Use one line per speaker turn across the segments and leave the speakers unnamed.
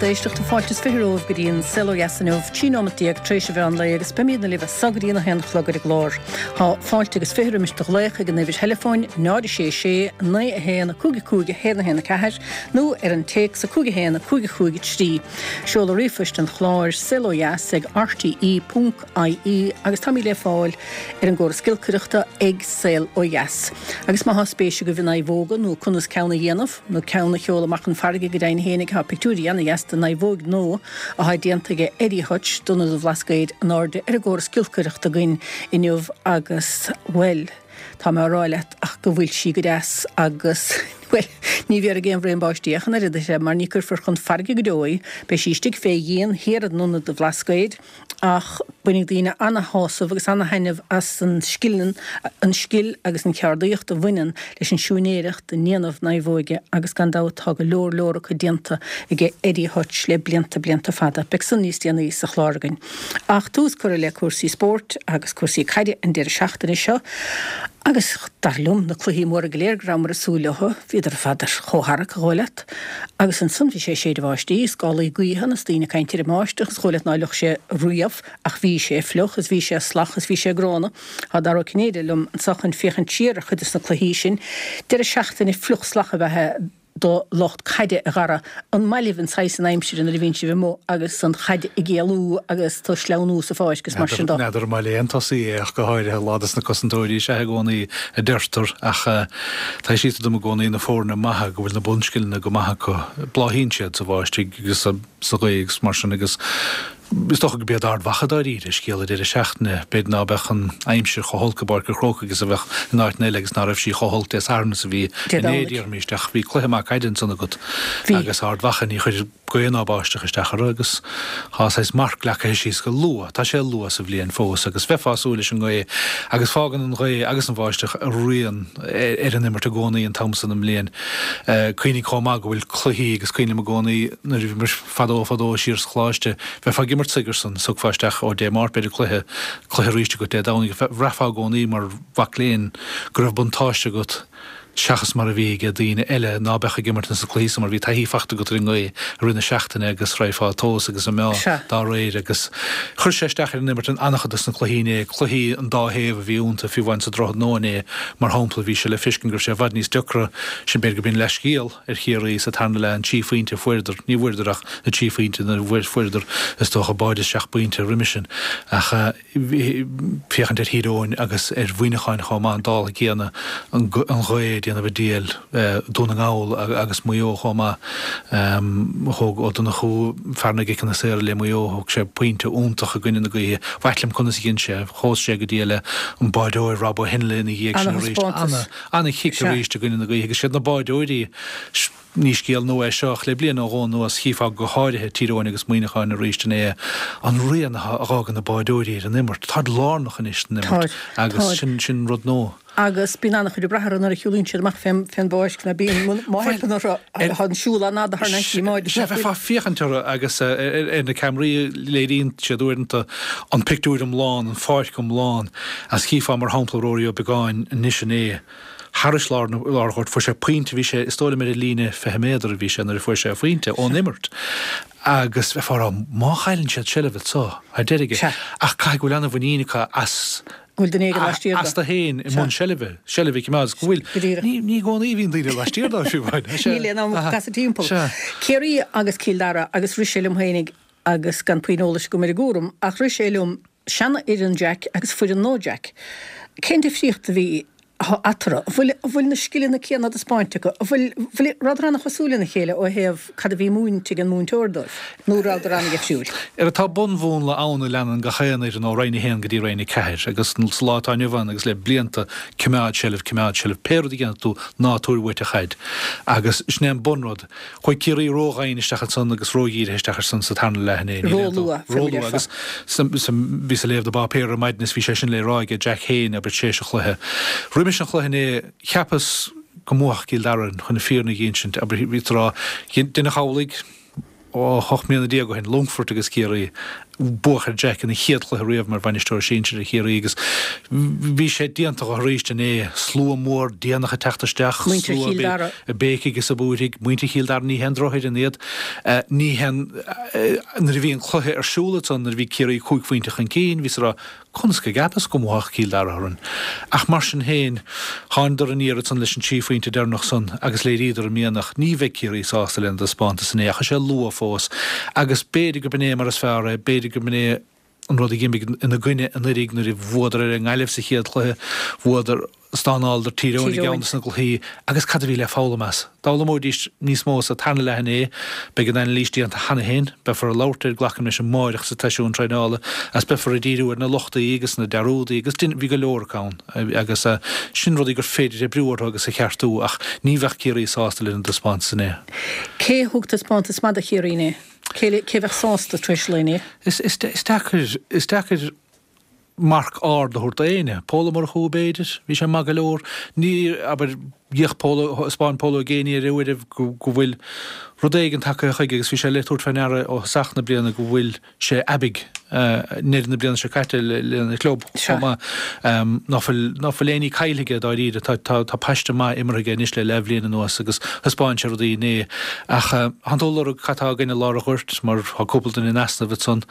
lucht éisteachta, fáilte is 20 romhaibh go dtí an Saol Ó Dheas inniu, 13 nóimeat tar éis an mheán lae agus beimidne libh as so go dtí an 1 a chlog ar an gclár. Tá fáilte agus 20 roimis do ghlaoch ag an uimhir theileafóin 0 6 6 9 1 5 5 1 1 4 nó ar an téacs 5 1 5 5 3. Seoladh ríomhphoist an chláir, saolodheas ag rte ponc ie agus táimid le fáil ar an gcóras giolcaireachta ag Saol Ó Dheas. Agus má thá spéis agaibh i naomhóga nó conas ceann a dhéanamh, nó ceann a sheoladh amach chun farraige go deimhin fhéinig, thá pictiúirí ana-dheas de naomhóig nua athá déanta aige Eddie Hutch d'Ionad an Bhlascaoid in airde ar an gcóras giolcaireachta againn inniu agus, bhuel, tá mé á rá leat ach go bhfuil sí go deas agus, bhuel, ní bhéarfaidh aon bhraon báistí ach an oiread uirthi mar ní cuirfear chun farraige go deo í, beidh sí istigh fé dhíon thiar in Ionad an Bhlascaoid. Ach bainfidh daoine ana-shásamh agus ana-thaitneamh as an scil, an scil agus an cheardaíocht a bhaineann leis an siúinéireacht i ndéanamh naomhóige agus gan dabht tá go leor leor acu déanta aige Eddie Hutch le blianta, blianta fada. Beidh san níos déanaí sa chlár againn. Ach tús curtha le cúrsaí spóirt agus cúrsaí caide an deireadh seachtaine seo agus dar liom na cluichí móra go léir go rabhamar ag súil leo, bhíodar ar fad ar chomhtharrac, a dhóigh leat. Agus ansan bhí sé ag séideadh báistí, scálaí gaoithe ann is daoine ag caint ar an mbáisteach is dhóigh leat ná fliuch sé riamh ach bhí sé fliuch is bhí sé salach is bhí sé gránna. Tá Dara Ó Cinnéide liom anso chun féachaint siar ar chuid des na cluichí sin. Deireadh seachtaine fliuch salach ab ea é do lucht caide, a Dhara. An maith libh an saghas san aimsire nuair a bhíonn sibh amuigh agus an chaid ag éalú agus tú ag sleamhnú sa pháirc is mar sin de?
N'fheadar an maith le aon tosaí é ach go háirithe, lá dos na cosantóirí is ea i gcónaí a deirtear ach tá sé dom i gcónaí na foirne maithe go bhfuil na bunscileanna go maith acu, bláthaíonn siad sa bháistigh agus sa ghaoth agus mar sin agus Is dócha go b'iad Ard Mhacha dáiríre scéal an deireadh seachtaine. B'fhéidir ná beadh an aimsir chomh holc i bPáirc an Chrócaigh is a bheadh in áiteanna eile agus ná raibh sí chomh holc Dé Sathairn is a bhí inné, déarfaimis, ach bhí cluiche maith caide ansan agat agus Ard Mhacha, ní chuir gaoth ná báisteach isteach orthu agus tá saghas marc leagtha síos go luath. Tá sé luath sa bhliain fós agus bheifeá ag súil leis an ngaoth agus fágann an ghaoth agus an bháisteach a rian ar an imirt i gcónaí an t-am san den mbliain. Cuimhnigh chomh maith go bhfuil cluichí agus cuimhin liom i gcónaí nuair a bhí mise Fadó fadó siar sa choláiste, bheifeá ag imirt Sigerson, is thiocfá isteach ó Dé Máirt b'fhéidir cluiche, cluiche arís agat Dé Domhnaigh, bhraithfeá i gcónaí mar mhac léinn go raibh buntáiste agat seachas mar a bhí ag daoine eile ná beadh ag imirt ins na cluichí san mar bhí taithí fachta agat ar an ngaoth i rith na seachtaine agus raghfá ag tomhas agus ag meá dá réir agus chuir sé isteach ar an imirt in an-chuid dos na cluichí inné, cluichí an dá thaobh a bhí iontu, fiú amháin sa Droichead Nua inné mar shampla bhí sé le feiscint go raibh sé i bhfad níos deacra, sin b'fhéidir go b'in leathscéal. ar Chiarraí sa tarna leath, an trí phointe a fuaireadar, ní bhfuaireadar ach na trí phointe nuair a fuaireadar is dócha báide isteach pointe roimis sin. Ach féachaint ar Thír Eoghain agus ar Mhuineacháin chomh maith, an dála céanna, an ghaoth ag déanamh a diabhail, Dún na nGall agus Maigh Eo chomh maith. Thóg Ó Donnchú, fear na gciceanna saora le Maigh Eo, thóg sé pointe iontach i gcoinne na gaoithe. B'ait liom conas a dhein sé, chós sé go diail an báideoir Rob Ó Henle ina dhiaidh sin arís. Ana-chic arís i gcoinne na gaoithe agus siad na báideoirí, ní scéal nua é seo ach le bliain nó dhó anuas chífeá go háirithe Tír Eoghain agus Muineachán arís inné, an rian a dh'fhágann na báideoirí ar an imirt. Táid lárnach anois san imirt agus sin, sin rud nua.
Agus bíonn an-chuid ag brath orthu nuair a shiúlaíonn siad amach fén bpáirc nó bíonn, má theipeann orthu, tá an siúl an-fhada thar n-ais i mbáid.
Sea, bheifeá ag féachaint orthu agus ar na ceamaraí léiríonn siad uaireanta an pictiúr iomlán, an pháirc iomlán. Agus chífeá, mar shampla, Rory Ó Beagáin anois inné, thairis lár an ghoirt, fuair sé pointe, bhí sé, is dóigh liom ar an líne 20 méadar a bhí sé nuair a fuair sé a phointe ón imirt. Agus bheifeá ag rá, má chailleann siad seilbh anso, thar deireadh aige. Ach caithfidh go bhfuil an-mhuinín acu as,
Go bhfuil duine éigin laistiar
dó. Astu féin i mbun seilbhe, seilbh a choimeád, agus go bhfuil,
Go díreach.
ní, ní i gcónaí a bhíonn daoine laistiar dóibh, fiú amháin.
Níl aon am casadh timpeall. Ciarraí agus Cill Dara agus rith sé liom féinig agus gan puinn eolais agam ar an gcúram, ach rith sé liom, seanfhoireann Jack agus foireann nua Jack. Cén difríocht a bhí eatarthu? An bhfuil, an bhfuil na scileanna céanna á dtaispeáint acu? An bhfuil, bhfuil, rabhadar an-chosúil lena chéile ó thaobh cad a bhí múinte ag an múinteoir dóibh, nó rabhadar an-dhifriúil?
Ara tá bunmhúnla ann a leanann gach aon fhoireann ó Roinn 1 go dtí Roinn 4 agus sa lá atá inniu ann agus le blianta, coimeád seilbh, coimeád seilbh, pé rud a dhéanfaidh tú, ná tabhair uait an chaid. Agus sin é an bunrud. Chuaigh Ciarraí ródhoimhin isteach ansan agus ródhírithe isteach ar san sa tarna leath inné. Níl aon
Róluath, fé mar a
Róluath agus bhíos ag léamh na bpáipéar ar maidin is bhí sé sin le rá aige Jack féin, abair, tar éis an chluiche. Roimis an chluiche inné, cheapas go mbuafadh Cill Dara, chun na fírinne a dh'insint, abair, bhíos ag rá, deineadh amhlaidh, ó 18 mbliana ó shin, Longfort agus Ciarraí. Buadh ar Jack ina chéad chluiche riamh mar bhainisteoir sinsir ar Chiarraí agus bhí sé déanta dho arís inné. Slua mór déanach ag teacht isteach,
Muintir slua Chill Dara.
ag béicigh is ag búirthigh. Muintir Chill Dara, ní haon drochfhoireann iad. Ní haon, nuair a bhí an cluiche ar siúl ansan, nuair a bhí Ciarraí cúig phointe chun cinn, bhíos ag rá, Conas go gceapas go mbuafadh Cill Dara orainn? Ach mar sin féin, thánadar aniar ansan leis an trí phointe deireanach san agus léiríodar a mianach. Ní bheidh Ciarraí sásta lena dtaispeántas inné ach tá sé luath fós agus b'fhéidir go b'in é mar is fearr é, b'fhéidir go b'in é an rud a dh'imigh ina gcoinne anuraidh nuair a bhuadar ar an nGaillimh sa chéad chluiche, bhuadar. Stánáladar Tír Eoghain i gceann de na cluichí agus cad a bhí le foghlaim as? D'fhoghlaimeoidís níos mó sa tarna leath inné. Beidh an anailís déanta cheana féin. Beifear ag labhairt air, glacaim leis, amáireach sa tseisiún traenála agus beifear ag díriú ar na lochtaí agus na dearúdaí agus bhí go leor acu ann agus sin rudaí gur féidir oibriú orthu agus a cheartú ach ní bheadh Ciarraí sásta lena dtaispeántas inné.
Cé a thug taispeántas maith do Chiarraí inné? Cé a bheadh sásta tar éis an lae inné?
Is deacair, is deacair. marc ard a thabhairt d'éinne. Pól Ó Murchú, b'fhéidir? Bhí sé maith go leor. Ní, abair, d'fhéach Pól, thaispeáin Pól Ó Géibheannaigh ar uairibh go, go bhfuil rud éigin tagtha chuige agus bhí sé le tabhairt fé ndeara ó thosach na bliana go bhfuil sé aibidh, i ndeireadh na bliana seo caite lena chlub chomh maith. Ná fuil, ná fuil aon ní caillte aige dáiríre. Tá, tá, tá paiste maith imeartha aige anois le leathbhliain anuas agus thaispeáin sé rudaí inné. Ach, thánn tú ag lorg cad tá againn i lár an ghoirt mar tá cúpla duine in easnamh ansan.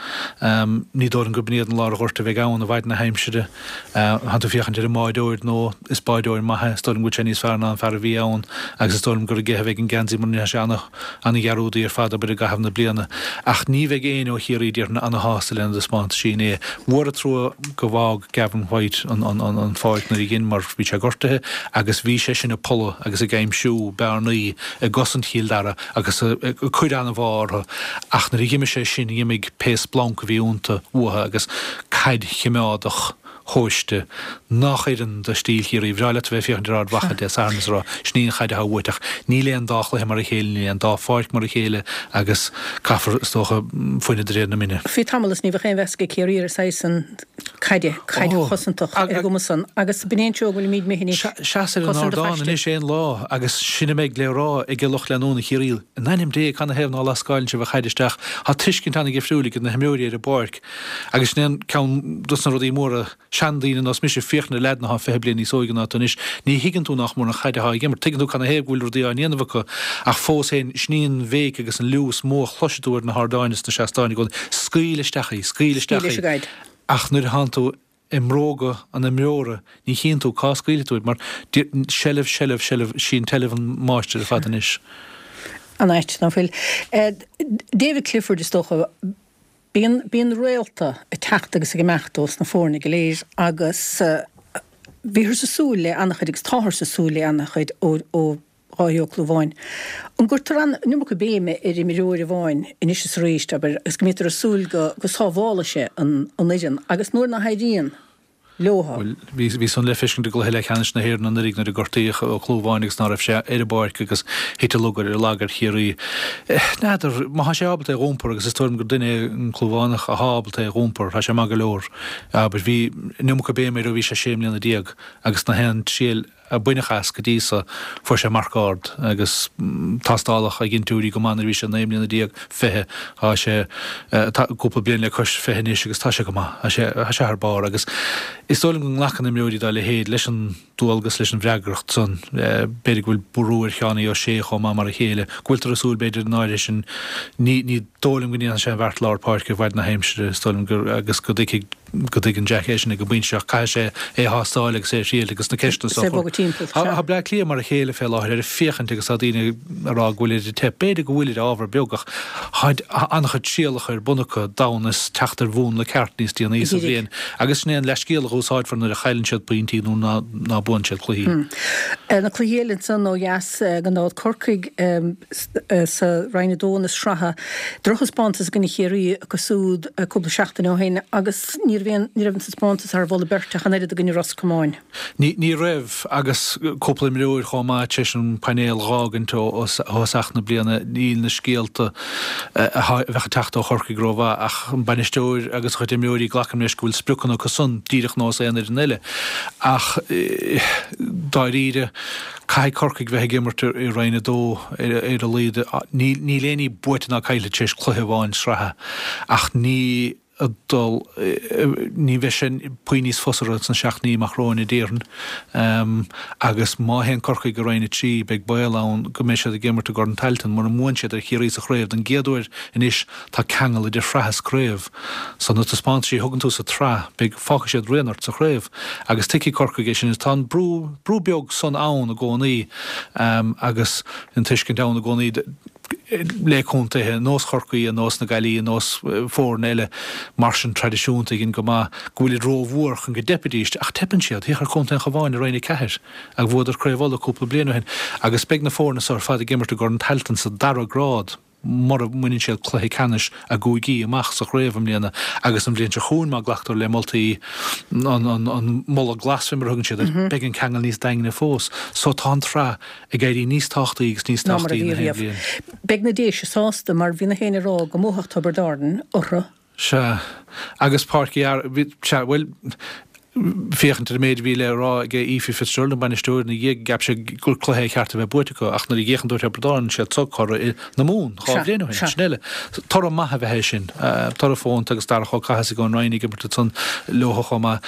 Ní dóigh liom gurb in iad an lár an ghoirt a bheidh ann i bhfaid na haimsire. Thánn tú ag féachaint ar an mbáireoir nó is báireoir maith é. Is dóigh liom go bhfuil sé níos fearr ná an fear a bhí ann agus is dóigh liom gur aige a bheidh an geansaí mura ndéanfaidh sé ana-dhearúdaí ar fad, abair, i gcaitheamh na bliana. Ach ní bheidh éinne ó Chiarraí déarfainn ana-shásta lena dtaispeántaisí inné. Mhór an trua go bhfág Gavin White an pháirc nuair a dhein mar bhí sé gortaithe agus bhí sé sin ag polladh agus ag aimsiú bearnaí i gcosaint Chill Dara agus ag cur an-mhá orthu, ach nuair a dh'imigh sé sin, dh'imigh pé splanc a bhí iontu uathu agus caid chimeádach thomhaiste nách oireann do stíl Chiarraí. Bhreá leat a bheith ag féachaint ar Ard Mhacha Dé Sathairn is a rá, sin í an chaid atá uait, ach níl aon dá chluiche mar a chéile, níl aon dá pháirc mar a chéile agus caithfear, is dócha, fuineadh de réir na mine.
Bhí tamall is ní bheadh aon mheas ag Ciarraí ar an saghas san caide, caid chosantach ar an gcuma san agus b'in é an treo go bhfuilimid imithe anois.
Seas ar an ardán anois aon lá agus sin a mbeidh le rá ag lucht leanúna Chiarraí, in ainm Dé, canathaobh ná lascáileann sibh an chaid isteach? Tá tuiscint an-dhifriúil ag na himreoirí ar an bpáirc agus sin é an ceann dos na rudaí móra, seandaoine ar nós mise, féach na leaideanna atá 20 bliain níos óige ná tú anois, ní thuigeann tú nách mór an chaid atá ag imirt, tuigeann tú canathaobh go bhfuil rudaí á ndéanamh acu ach fós féin, sin í an bhéic agus an liú is mó a chloisfidh tú ar na hardáin is na seastáin i gcónaí, scaoil isteach í, scaoil isteach í. Ach nuair a thánn tú i mbróga an imreora ní chíonn tú cá scaoilfidh tú í mar seilbh, seilbh, seilbh, sí an tseilbh an máistir ar fad anois.
An-ait, ná fuil? David Clifford is dócha, bíonn, bíonn réalta ag teacht agus ag imeacht ós na foirne go léir agus bhíothas ag súil le an-chuid agus táthar ag súil le an-chuid ó, ó Dháithí Ó Clúmháin. An gcuirtear an iomarca béime ar imreoir amháin anois is arís, abair, agus go mbítear ag súil go go sábhálfaidh sé an fhoireann agus nuair nach éiríonn leo.
Bhuel, bhí bhí san le feiscint i gcluiche leathcheannais na hÉireann anuraidh nuair a gortaíodh Ó Clúmháin agus ná raibh sé ar an bpáirc agus thit an lugar ar lag ar Chiarraí. N'fheadar, má thá sé ábalta é dh'iompar agus is dóigh liom gur duine é an Clúmhánach athá ábalta é dh'iompar, tá sé maith go leor. Abair, bhí an iomarca béime air ó bhí sé sé mbliana agus na haon triail a baineadh as go dtí so, fuair sé marc ard agus tástáladh a dhintiúirí go maith nuair a bhí sé 19 mbliana, 20, tá sé cúpla bliain le cois 20 anois agus tá sé go maith, tá sé, tá sé thar barr agus is dóigh liom go nglacann imreoirí dá leithéid leis an dualgas, leis an bhfreagracht san. B'fhéidir go bhfuil brú ar Sheánie O'Shea chomh maith mar a chéile, go bhfuiltear ag súil b'fhéidir an áirithe sin, ní, ní dóigh liom go ndéanfaidh sé an bheart lár páirce i bhfaid na haimsire, is dóigh liom gur, agus go dtuigfidh. go dtuigeann Jack é sin ag an bpointe seo, caithfidh sé é a thástáil agus é a thriail agus na ceisteanna
so a chur.
Tá Bleá Cliath mar a chéile fé láthair ar féachaint agus tá daoine ag rá go bhfuilid ag teip. B'fhéidir go bhfuilid ábhar beag ach tá an-chuid trialacha ar bun acu d'fhonn is teacht ar mhúnla ceart níos déanaí sa bhliain agus sin é an leathscéal a úsáidfear nuair a chailleann siad pointí nó ná buann siad cluichí.
Na cluichí eile ansan ó dheas gan dabht Corcaigh sa Roinn 2 na sraithe. Drochthaispeántas i gcoinne Chiarraí acu siúd cúpla seachtain ó shin agus ní raibh aon, ní raibh an taispeántas thar mholadh beirte ach an oiread i gcoinne Ros Comáin.
Ní, ní raibh agus cúpla imreoir chomh maith tar éis an painéal dh'fhágaint ó thosach na bliana. Níl na scéalta a bheadh ag teacht ó Chorcaigh rómhaith ach an bainisteoir agus a chuid imreoirí, glacaim leis go bhfuil spriocanna acu san díreach nós aon fhoireann eile. Ach dáiríre, Caithfidh Corcaigh bheith ag imirt i Roinn 2 ar a laghad. Níl aon ní buaite ná caillte tar éis cluiche amháin sraithe ach ní. ag dul, ní bheidh sé puinn níos fusa orthu sna seachtainí amach romhainn a déarfainn. Agus má théann Corcaigh go Roinn 3, beidh baol ann go mbeidh siad ag imirt i gCorn Tailteann. Mura mbuann siad ar Chiarraí sa chraobh don gcéad uair anois, tá ceangal idir shraith is craobh. So na taispeántaisí a thugann tú sa tsraith, beidh, fágfaidh siad rian ort sa chraobh. Agus tuigfidh Corcaigh é sin. Tá an brú, brú beag san ann i gcónaí agus an tuiscint ann i gcónaí le contaetha ar nós Chorcaí, ar nós na Gaillimhe, ar nós foirne eile mar sin traidisiúnta againn go maith, go bhfuilid rómhór chun go dteipfidís. Ach teipeann siad. Féach ar Chontae an Chabháin i Roinn 4 agus bhuadar Craobh Uladh cúpla bliain ó shin. Agus beidh na foirne so ar fad ag imirt i gCorn Tailteann sa dara grád. mura mbaineann siad cluiche ceannais a gcúigí amach sa chraobh i mbliana agus an bhliain seo chugainn má glactar le moltaí an moladh glas fé mar a thugann siad air, beidh an ceangal níos daingne fós. So tá an tsraith ag éirí níos tábhachtaí agus níos
ná mar a
tábhachtaí
bhí
na haon
riamh.
bhliain.
Beidh na Déise sásta mar bhí na héinne ag rá go mbuafadh Tiobraid Árann orthu.
Sea. Agus Páirc Uí Fhearghail, sea, bhuel, féachaint ar an méid a bhí le rá ag Ephie Fitzgerald, an bainisteoir, ina dhiaidh, cheap sé gur cluiche é cheart a bheith buaite acu, ach nuair a d'fhéachann tú ar Thiobraid Árann, siad so curaidh na Mumhan 2 bhliain ó shin, sin eile. Toradh maith a bheadh é sin. Toradh fónta agus Darach Ó Cathasaigh ón Rinn ag imirt ansan leo chomh maith.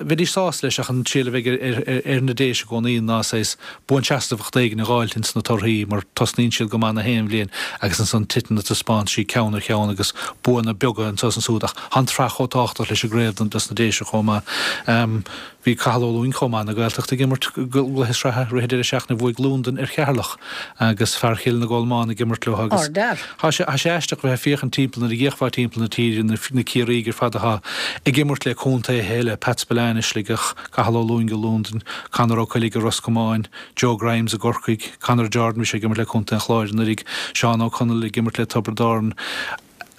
Bheidís sásta leis ach an triail a bheidh ar na Déise i gcónaí ná saghas buanseasmhacht éigin a dh'fháilt ins na torthaí mar tosnaíonn siad go maith na haon bhliain agus ansan titeann na taispeántaisí ceann ar cheann agus buanna beaga anso is ansúd ach tá an tsraith chomh tábhachtach leis an gcraobh dos na Déise chomh maith. Bhí Cathal Ó Lúing chomh maith na Gaeltachta ag imirt gcluiche sraithe rith an deireadh seachtaine bhuaigh Londain ar Cheatharlach agus fear Chill na gColmán ag imirt leo agus
Ardfhear.
tá sé tá sé aisteach bheith ag féachaint timpeall nuair a d'fhéachfá timpeall na tíre na na Ciarraígh ar fad atá ag imirt le contaetha eile Pat Spillane i Sligeach Cathal Ó Lúing i Londain, Conor Ó Coiligh i Ros Comáin, Joe Grimes i gCorcaigh, Conor Jordan, bhí sé ag imirt le Contae an Chláir anuraidh, Seán Ó Conaill ag imirt le Tiobraid Árann.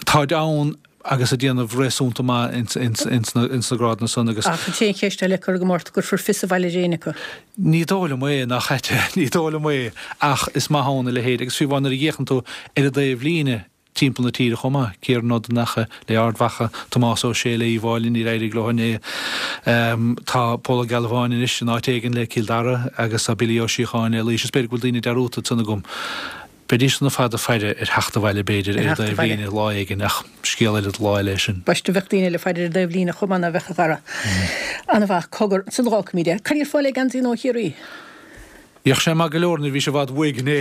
Táid ann agus ag déanamh réasúnta maith ins na grádanna san agus.
Ach an t-aon cheist eile curtha agam ort, an gcuirfear fios abhaile ar éinne acu?
Ní dóigh liom é, nach ait é, ní dóigh liom é ach is maith ann a leithéid agus fiú amháin nuair a d'fhéachann tú ar an dtaobh líne, timpeall na tíre chomh maith, Ciarán Ó Donnacha le Ard Mhacha, Tomás Ó Sé le Uíbh Fhailí, níor éirigh leo inné. Tá Pól Ó Gealbháin anois in áit éigin le Cill Dara agus tá Billy Ó Síocháin le Laois. Is b'fhéidir go bhfuil daoine dearúdta ansan agam. Bheidís san ar fad ag faire ar theacht abhaile b'fhéidir ar an dtaobh líne lá éigin ach scéal eile do lá eile é sin.
Baiste bheadh daoine eile ag faire ar an dtaobh líne chomh maith ná bheadh a Dhara. Ana-mhaith. Cogar, ansan d'fhágfaimid é. Cad é ar fáil le geansaí nua Chiarraí?
Bhíodh sé maith go leor nuair a bhí sé i bhfad uaidh inné.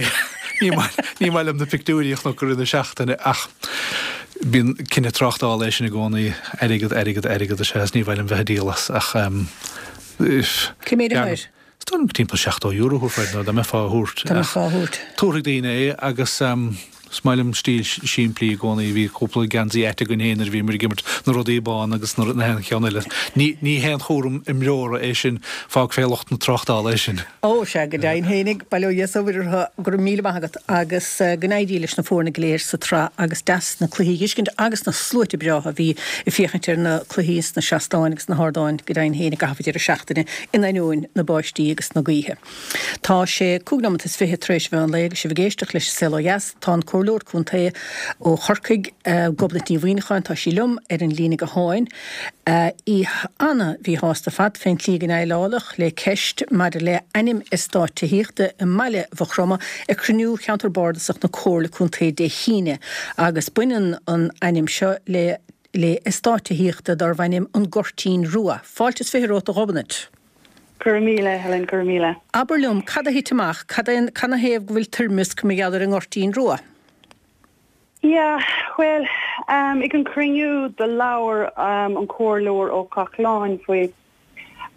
Ní maith ní maith liom na pictiúirí a chonac i rith na seachtaine ach bíonn cinneadh tráchtála é sin i gcónaí. Airgead, airgead, airgead is ea is ní mhaith liom bheith ag díol as ach
Cé méid atá air?
Is dóigh liom timpeall €70 a thabharfá air nó dá mbeifeá á thabhairt.
Dá mbeifeá á thabhairt.
Tabharfaidh daoine é agus Is maith liom stíl simplí i gcónaí. Bhí cúpla geansaí ait againn féin nuair a bhíomar ag imirt, na rudaí bána agus na haon cheann eile. Ní ní haon chúram imreora é sin, fág fé lucht na tráchtála é sin.
Ó, sea, go deimhin fhéinig, bail ó Dhia is ó Mhuire orthu. Go raibh míle maith agat agus go n-éirí leis na foirne go léir sa tsraith agus deas na cluichí a dh'fheiscint agus na sluaite breátha a bhí ag féachaint ar na cluichí sna seastáin agus sna hardáin go deimhin féin i gcaitheamh an deireadh seachtaine in ainneoin na báistí agus na gaoithe. Tá sé 25 nóimeat tar éis mheán lae agus sibh ag éisteacht leis an Saol Ó Dheas. Tá an Comhairleoir Contae ó Chorcaigh, Gobnait Ní Mhuimhneacháin, tá sí liom ar an líne gutháin. Í ana-mhíshásta ar fad fén tslí go ndéileáladh le ceist maidir le ainm eastáit tithíochta i mbaile Mhaigh Chromtha ag cruinniú Cheantar Bardasach na Comhairle Contae Dé hAoine agus baineann an ainm seo le le eastát tithíochta darbh ainm An Goirtín Rua. Fáilte is 20 romhat a Ghobnait.
Go raibh míle, Helen, go raibh míle.
Abair liom, cad a thit amach? Cad é, canathaobh go bhfuil toirmeasc mar gheall ar an nGoirtín Rua?
Yeah, bhuel, ag an cruinniú do labhair an Comhairleoir Ó Cochláin faoi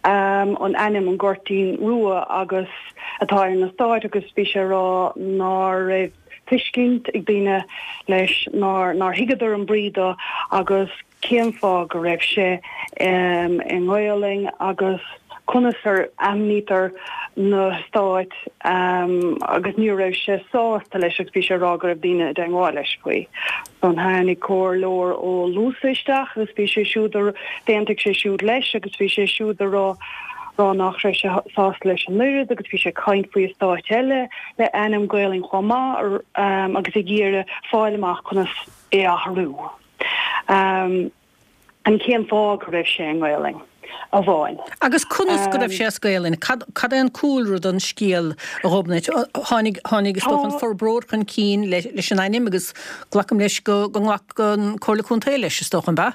an ainm an Goirtín Rua agus atá ar an eastát agus bhí sé ag rá ná raibh tuiscint ag daoine leis, nár nár thuigeadar an brí do agus cén fáth go raibh sé i nGaolainn agus conas ar ainmnítear na heastáit agus ní raibh sé sásta leis agus bhí sé ag rá go raibh daoine i dteangmháil leis faoi. Ansan tháinig comhairleoir Ó Luasa isteach agus bhí sé siúd a d'aontaigh sé siúd leis agus bhí sé siúd a rá rá nach raibh sé sásta leis an oiread agus bhí sé ag caint faoi eastáit eile le ainm Gaolainn chomh maith agus ag iarraidh fáil amach conas é a athrú. An cén fáth go raibh sé i nGaolainn amháin?
Agus conas go raibh sé as Gaolainn? Cad, cad é an cúlra don scéal, a Ghobnait? Tháinig, tháinig is dócha an forbróir chun cinn leis an ainm agus glacaim leis go, go nglac an Comhairle Contae leis, is dócha, an b'ea?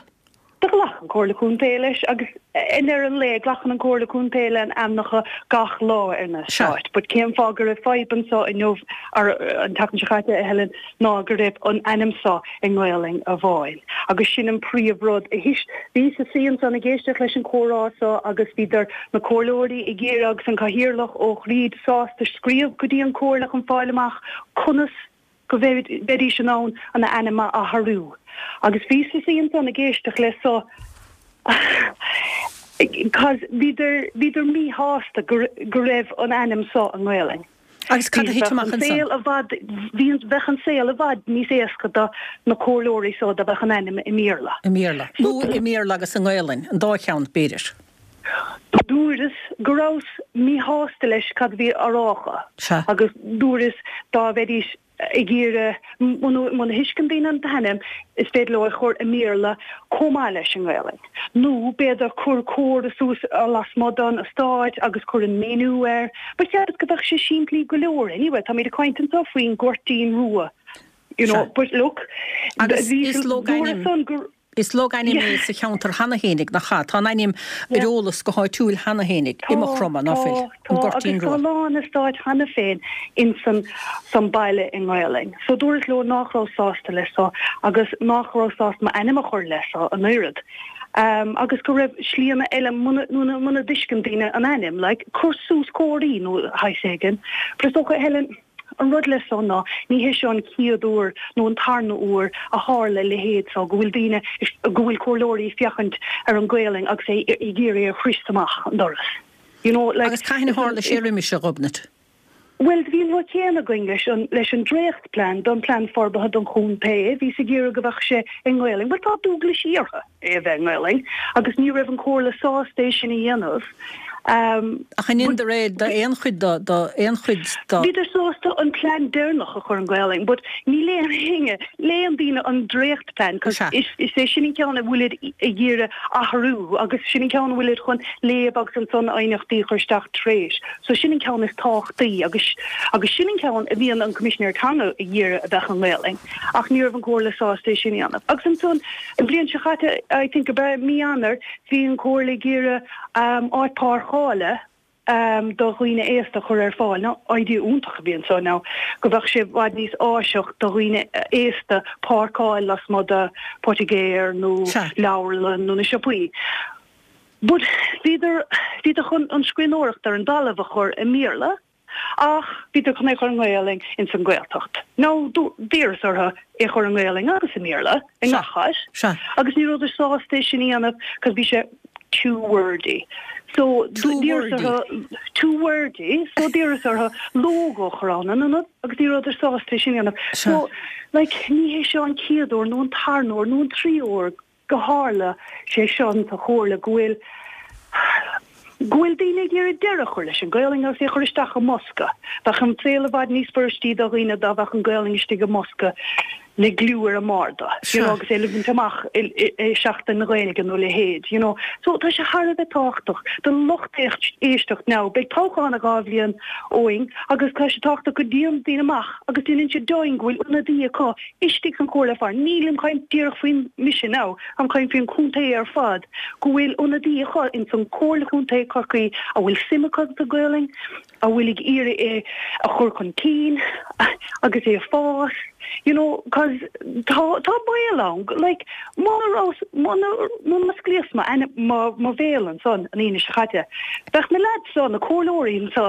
Do ghlac an Comhairle Contae leis agus i ndeireadh an lae glacann an Comhairle Contae le ainmneacha gach lá ar an eastát. But cén fáth go raibh fadhb anso inniu, or an tseachtain seo caite, a Helen, ná go raibh an ainm so i nGaolainn amháin. Agus sin an príomh rud. Bhíos ina suí ansan ag éisteacht leis an comhrá so agus bhíodar, na comhairleoirí ag iarraidh agus an Cathaoirleach Ó Críd sásta scríobh go dtí an Comhairle chun fáil amach conas go mbeidís in ann an ainm a athrú. Agus bhíos ina suí ansan ag éisteacht le so cause bhíodar, bhíodar míshásta go, go raibh an ainm so i nGaolainn.
Agus cad a thit amach ansan?
Bhí an, bheadh an saol i bhfad níos éasca do na comhairleoirí so dá mbeadh an ainm i mBéarla.
I mBéarla. Nó i mBéarla agus i nGaolainn, an dá cheann, b'fhéidir.
Dúras go rabhas míshásta leis cad a bhí á rá acu.
Sea.
Agus dúras dá mbeidís ag iarraidh, muna thuisceann daoine an t-ainm, is féidir leo é a chur i mBéarla chomh maith leis an nGaelainn. Nó b'fhéidir cur comhartha suas lasmuigh den eastát agus cur an míniú air. But cheapas go bheadh sé simplí go leor anyway. Táimid ag caint anseo faoin Ghoirtín Rua, you know,
Sea.
but look,
Agus
bhí,
is
dúras
logainm.
san go.
Is logainm é sa cheantar cheana fhéinig, nach ea? Tá an ainm ar eolas go háitiúil cheana fhéinig, i Maigh Chromtha, ná fuil?
Tá,
An Goirtín
agus tá
Rua.
a lán eastáit cheana féin insan san baile i nGaelainn. So dúras leo nách raibh sásta le so agus nách raibh sásta m'ainm a chur le so an oiread. Um, agus go raibh slíanna eile muna, muna, muna dtuisceann daoine an ainm, like, cur suas comharthaí nó shaghas éigin. But is dócha, Helen, An rud le so ná ní hé seo an chéad uair nó an tarna uair a tharla a leithéid so, go bhfuil daoine, go bhfuil comhairleoirí ag féachaint ar an Ghaelainn agus é ag iarraidh é a chrois amach an doras. You know, like,
Agus cathain a tharla sé roimis, a Ghobnait?
Bhuel, bhí an rud céanna againn leis an, leis an dréachtplean don plean forbartha don chontae, bhíos ag iarraidh go bheadh sé i nGaelainn. Bhuel, tá dualgaisí orthu é a bheith i nGaelainn agus ní raibh an Chomhairle sásta é sin a dhéanamh.
Ach an ndeineadar é d'aon chuid do, d'aon chuid do.
Bhíodar sásta an plean deireanach a chur i nGaelainn but ní léann éinne, léann daoine an dréachtplean cos is é sin an ceann a bhfuilid ag iarraidh athrú agus sin an ceann a bhfuilid chun léamh agus ansan aighneachtaí a chur isteach tar éis. So sin an ceann is tábhachtaí agus agus sin an ceann a bhíonn an Coimisinéir Teanga ag iarraidh a bheadh i nGaelainn ach ní raibh an Comhairle sásta é sin a dhéanamh. Agus ansan an bhliain seo chaite I think ab ea mí Eanáir bhí an Comhairle ag iarraidh áit páirceála do dhaoine aosta a chur ar fáil. Now, idea iontach a bhí anso now, go bheadh sé i bhfad níos áiseach do dhaoine aosta páirceáil lasmuigh de poitigéir nó leabharlann nó na siopaí. But bhíodar, bhíodar chun an scríbhneoireacht ar an dtalamh a chur i mBéarla. Ach bhíodar chun é chur i nGaelainn ins an Ghaeltacht. Now d'iarras orthu é chur i nGaelainn agus i mBéarla i ngach áit agus ní rabhadar sásta é sin a dhéanamh cos bhí sé too wordy. So d'iarras orthu too wordy so d'iarras orthu logo a chur ann in ionad agus ní rabhadar sásta é sin a dhéanamh. So like ní hé seo an chéad uair nó an tarna uair nó an tríú uair go tharla sé seo sa Chomhairle go bhfuil go bhfuil daoine ag iarraidh deireadh a chur leis an Ghaelainn agus é a chur isteach i mbosca. Bheadh an saol i bhfad níos fuiristí do dhaoine dá bheadh an Ghaelainn istigh i mbosca le gliú ar an mbarda, you know, agus é le baint amach i Seachtain na Gaeilge nó a leithéid, you know. So tá sé thar a bheith tábhachtach don lucht éisteacht now. Beidh toghchán i 2 bhliain uainn agus tá sé tábhachtach go dtéann daoine amach agus déanann siad deimhin go bhfuil ionadaí acu istigh san chomhairle ar fad, nílim caint díreach faoin mise now, táim caint faoin chontae ar fad, go bhfuil ionadaí acu ins an Chomhairle Chontae Chorcaí a bhfuil suim acu sa Ghaelainn, a bhfuil ag iarraidh é a chur chun cinn agus é a fás, you know, cos tá, tá baol ann, like, muna raibh, muna, muna osclaíos mo, mo, mo bhéal ansan an Aoine seo caite, bheadh na lads seo, na comhairleoirí anseo,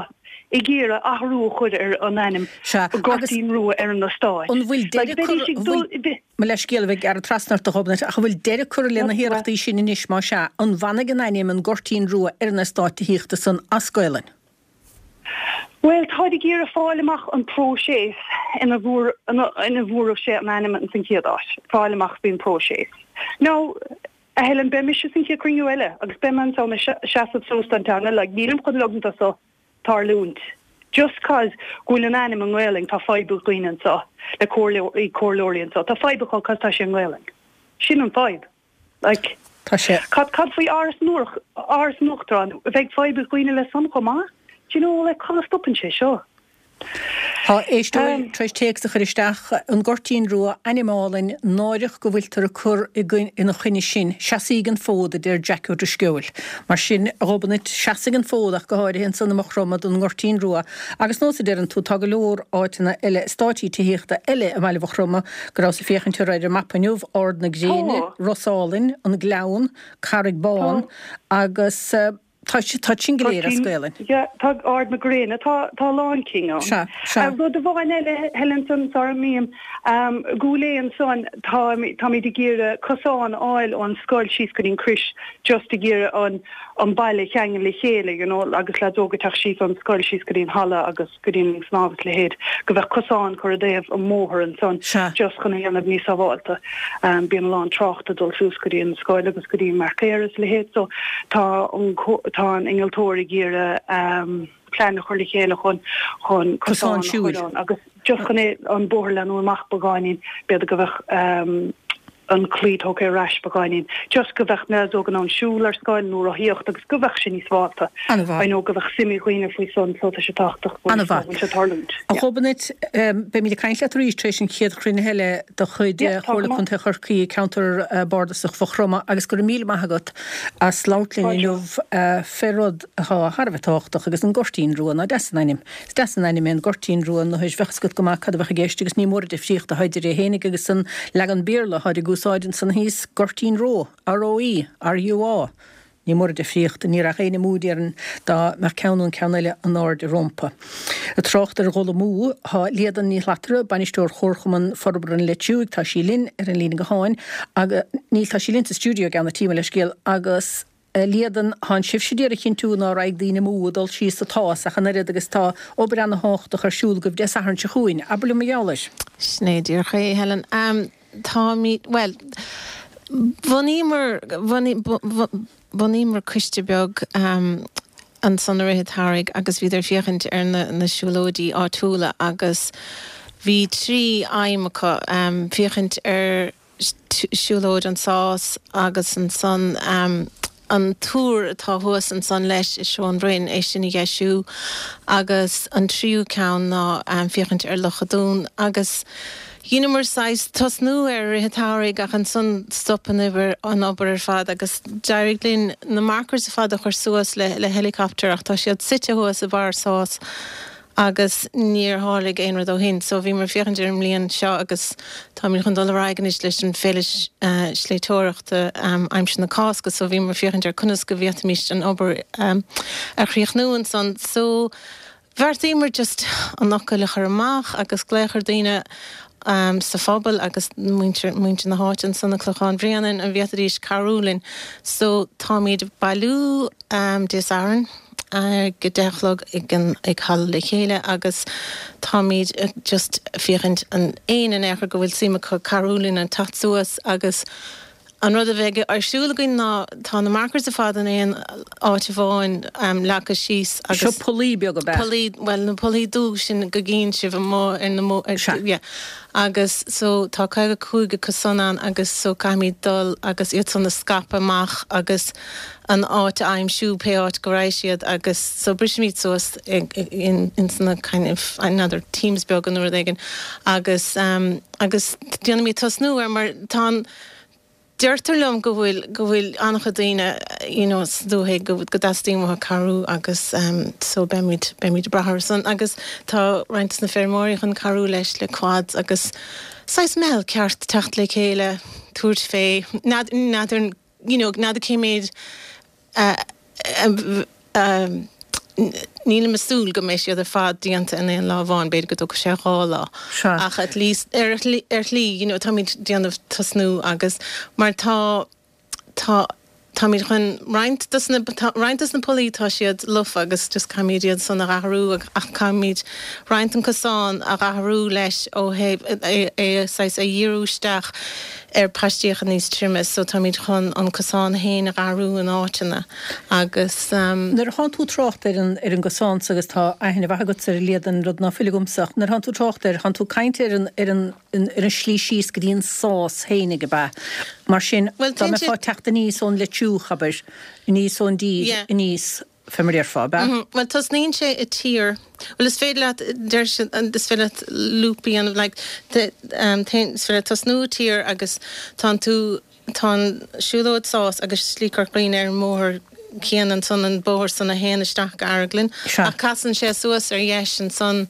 ag iarraidh athrú a chur ar an ainm
Sea, agus
Goirtín Rua ar an eastát.
an bhfuil
Like,
deireadh
bheidís
curtha,
ag
an
dul,
bhfuil,
bhe-
mo leithscéal a bheith ag gearradh trasna ort a Ghobnait, ach an bhfuil deireadh curtha le na hiarrachtaí sin anois, más ea, an bhfanfaidh an ainm an Goirtín Rua ar an eastát tithíochta san as Gaolainn?
Bhuel, táid ag iarraidh fáil amach an próiseas ina bhfuair, ina, ina bhfuair sé an ainm ins an chéad áit, fáil amach faoin próiseas. Now, A Helen, beidh mise san chéad cruinniú eile agus beidh mé ansan ag seasamh suas don teanga, like, nílim chun ligint do so tarlúint. Just cause go bhfuil an ainm i nGaelainn tá fadhb ag dhaoine anso, le comhairleoirí, comhairleoirí anso, tá fadhb acu cause tá sé i nGaelainn. Sin an fadhb. Like,
Tá sé.
cad, cad faoi Áras an Uachtaráin, Áras an Uachtaráin, bheidh fadhb ag dhaoine le san chomh maith? Do you know, like, cá stopann sé seo?
Tá éisteoir tar éis téacs a chur isteach, An Goirtín Rua, ainm álainn, náireach go bhfuiltear ag cur ina choinne sin. Seasaíg an fód, a deir Jack Ó Drisceoil. Mar sin, a Ghobnait, seasaigh an fód ach go háirithe ansan i Maigh Chromtha don nGoirtín Rua agus nós a deireann tú, tá go leor áiteanna eile, eastáití tithíochta eile i mbaile Mhaigh Chromtha go rabhas ag féachaint orthu ar an mapa inniu, Ard na Gréine, Ros Álainn, An Gleann, Carraig Bán agus. Tá tá sin go léir as Gaelainn.
Yeah, tá Ard na Gréine, tá tá a lán cinn ann.
Sea, sea.
Rud amháin eile, Helen, ansan, sara n-imím, i gCúil Aodha ansan, tá táimid ag iarraidh cosán a fháil ón scoil síos go dtí an Crois, just ag iarraidh an an baile a cheangal le chéile, you know, agus lads óga ag teacht síos ón scoil síos go dtí an halla agus. go dtí an linn snámha is a leithéid, go bheadh cosán curtha i dtaobh an mbóthar ansan just chun é a dhéanamh níos sábhálta. Bíonn a lán trácht ag dul suas go dtí an scoil agus go dtí an Marcaeir is a leithéid so tá an tá an innealtóir ag iarraidh plean a chur le chéile chun chun
cosán a chur
ann agus just chun é an bóthar a leathnú amach beagáinín b'fhéidir go bheadh an claí tógtha ar ais beagáinín, just go bheadh na lads óga in ann siúl ar scoil nó rothaíocht agus go bheadh sé níos sábhálta.
An-mhaith.
I know go bheadh suim ag dhaoine faoi san so tá sé tábhachtach
go bhfuil
sé tarlúint.
A Ghobnait, beimid ag caint leat arís tar éis an chéad chruinnithe eile de chuid Chomhairle Contae Chorcaí i gceantar Bardasach Mhaigh Chromtha agus go raibh míle maith agat as labhairt linn inniu fé rud atá thar a bheith tábhachtach agus an Goirtín Rua, ná deas an ainm. Is deas an ainm é an Goirtín Rua nó bheadh fhios agat go maith cad a bheadh i gceist agus ní mór an difríocht atá idir é fhéinig agus an leagan Béarla atáid ag úsáid ansan thíos, Gurteen Roe, R-O-E, R-U-A. Ní mór an difríocht, ní raghadh éinne amú déarfainn dá mbeadh ceann nó an ceann eile in airde rómpa. Ag trácht ar dhul amú, tá Líadan Ní Shlatara, bainisteoir Chomharchumann Forbartha an Leitriúigh, tá sí linn ar an líne gutháin agus, níl, tá sí linn sa stiúideo i gceann an tí, mo leithscéal, agus. A Líadan, Tánn sibhse d'iarraidh a chinntiú ná raghaidh daoine amú ag dul síos an tSás ach an oiread agus tá obair ana-thábhachtach ar siúl agaibh Dé Sathairn seo chugainn. Abair liom mar gheall air.
Sin é díreach é, Helen. Táimid, bhuel, bhunaíomar, bhunaíomar coiste beag ansan i rith an tsamhraidh agus bhíodar ag féachaint ar na siúlóidí áitiúla agus bhí 3 aidhm acu, féachaint ar, siúlóid an Sás agus ansan an túr atá thuas ansan leis i Seó an Bhroin, é sin a dheisiú agus an tríú ceann ná féachaint ar Loch a' Dúin agus dheineamar saghas tosnú air i rith an tsamhraidh ach ansan stop an obair an obair ar fad agus d'éirigh linn na markers ar fad a chur suas le le helicopter ach tá siad suite thuas i barr Sás agus níor tharlaigh aon rud ó shin. So bhíomar ag féachaint ar an mbliain seo agus táimid chun dul ar aghaidh anois leis an féile sléibhteoireachta aimsir na Cásca so bhíomar ag féachaint ar conas go bhféadfaimis an obair a chríochnú ansan. So bheartaíomar just an fhocal a chur amach agus glaoch ar daoine sa phobal agus muintir muintir na háite ansan i Clochán Bhréanainn an bhféadfaidís cabhrú linn. So táimid ag bailiú Dé Sathairn. ag a 10 a chlog ag an ag Halla Le Chéile agus táimid just féachaint an éinne in aon chor go bhfuil suim acu cabhrú linn an teacht suas agus an rud a bheidh ar siúl againn ná tá na markers ar fad in aon áit amháin leagtha síos
agus Seo pollaí beaga ab
ea? Pollaí, bhuel na pollaí dubh sin go gcíonn sibh amuigh ar na mo
Sea.
yeah agus so tá 55 acu san ann agus so caithfimid dul agus iad san a scaipeadh amach agus an áit a aimsiú, pé áit go raghaidh siad agus so brisimid suas in ins na kind of n'fheadar teams beaga nó rud éigin agus agus déanaimid tosnú air mar tá an deirtear liom go bhfuil go bhfuil an-chuid daoine you know sa dúthaigh go go dteastaíonn uathu cabhrú agus so beimid beimid ag brath orthu san agus tá roinnt de na feirmeoirí chun cabhrú leis le quads agus saghas meitheal ceart teacht le chéile tabhairt fé n'fheadar you know, n'fheadar cé méid a, nílim ag súil go mbeidh siad ar fad déanta in aon lá amháin, b'fhéidir go dtógfaidh sé 2 lá.
Sea.
Ach at least, ar ar shlí, you know, táimid déanamh tosnú agus mar tá, tá, táimid chun roinnt dos na, tá roinnt dos na pollaí tá siad lofa agus just caithfimid iad san a dh'athrú ach caithfimid roinnt an cosán a dh'athrú leis ó thaobh é, é saghas a dhíriú isteach ar paistíocha níos troime so táimid chun an cosán fhéin a dh'athrú in áiteanna agus.
Nuair a thánn tú ag trácht ar an ar an gcosán so agus tá aithne mhaith agatsa ar a Líadan, rud ná fuil agamsa ach nuair a thánn tú ag trácht air, thánn tú ag caint ar an ar an ar an slí síos go dtí an sás fhéinig ab ea? Mar sin
Bhuel
dá
téann
mbeifeá
sé.
ag teacht aníos ón Leitriúch, abair, aníos ón dtír,
Yeah.
aníos. Fé mar a déarfá, ab ea?
Bhuel, tosnaíonn sé i Tír, bhuel is féidir leat, deir siad, is féidir leat loop a dhéanamh, like, is féidir leat tosnú i Tír agus tánn tú, tá an siúlóid Sás agus Slí Corca Dhuibhne ar an mbóthar céanna ansan, an bóthar san a théann isteach go Araglin, ach casann sé suas ar dheis ansan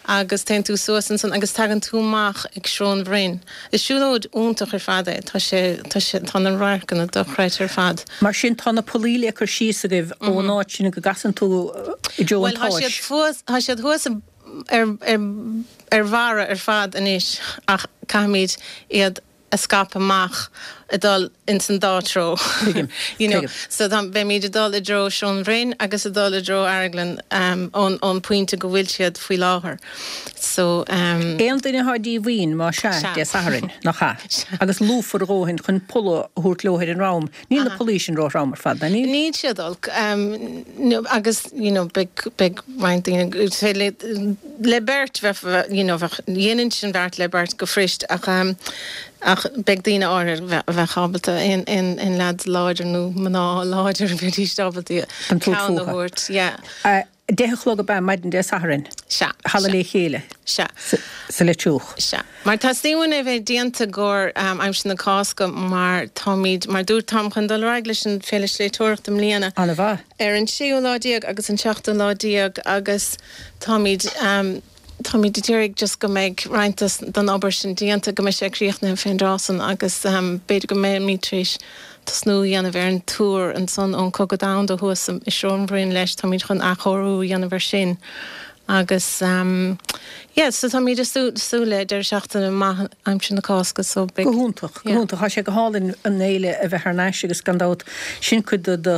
agus téann tú suas ansan agus tagann tú amach ag Srón Bhroin. Is siúlóid iontach ar fad é, tá sé, tá sé, tá na radharcanna dochreidte ar fad.
Mar sin tá na pollaí le cur síos agaibh ón áit sin go gcasann tú i dtreo an
Bhuel, tá siad
tSáis.
thuas, tá siad thuas ar, ar, ar bharra ar fad anois ach caithfimid iad a scaipeadh amach ag dul ins an dá treo.
Tuigim,
You know,
tuigim.
so tá, beimid ag dul i dtreo Srón Bhroin agus ag dul i dtreo Araglin ón, ón pointe go bhfuil siad faoi láthair. So,
um. Aon duine atá díomhaoin, más ea,
Sea.
Dé Sathairn, nach ea?
Sea.
Agus lúfar a dhóthain chun polla a thabhairt leo ar an ndroim. Níl na pollaí sin róthrom ar fad, ná níl?
Níl siad olc. Um, agus, you know, beidh, beidh roinnt daoine, is féidir le, le beirt, bheadh, you know, bheadh, dhéanfainnse an bheart le beirt go fuirist ach, um, ach beidh daoine áirithe a bheadh ábalta, aon, aon, aon leads láidir nó mná láidir bheidís ábalta
An tabhairt
ceann a
fúthu.
thabhairt, yeah.
10 a chlog ab ea maidin Dé Sathairn?
Sea.
Halla Le Chéile.
Sea.
Sa Leitriúch.
Sea. Mar teastaíonn uainn é bheith déanta i gcomhair aimsir na Cásca mar táimid, mar dúirt, táim chun dul ar aghaidh leis an Féile Sléibhteoireachta i mbliana.
An-mhaith.
Ar an séú lá déag agus an seachtú lá déag agus táimid, táimid ag iarraidh just go mbeidh roinnt den obair sin déanta, go mbeidh sé críochnaithe fén dtráth san agus b'fhéidir go mbeimid tar éis tosnú a dhéanamh ar an túr ansan ón Cogadh Domhanda thuas i Srón Bhroin leis, táimid chun athchóiriú a dhéanamh ar sin agus yeah so táimid ag súil le deireadh seachtaine maith aimsir na Cásca so beidh
Go hiontach, go
yeah.
hiontach. Tá sé go hálainn an fhéile a bheith thar n-ais agus gan dabht sin cuid de do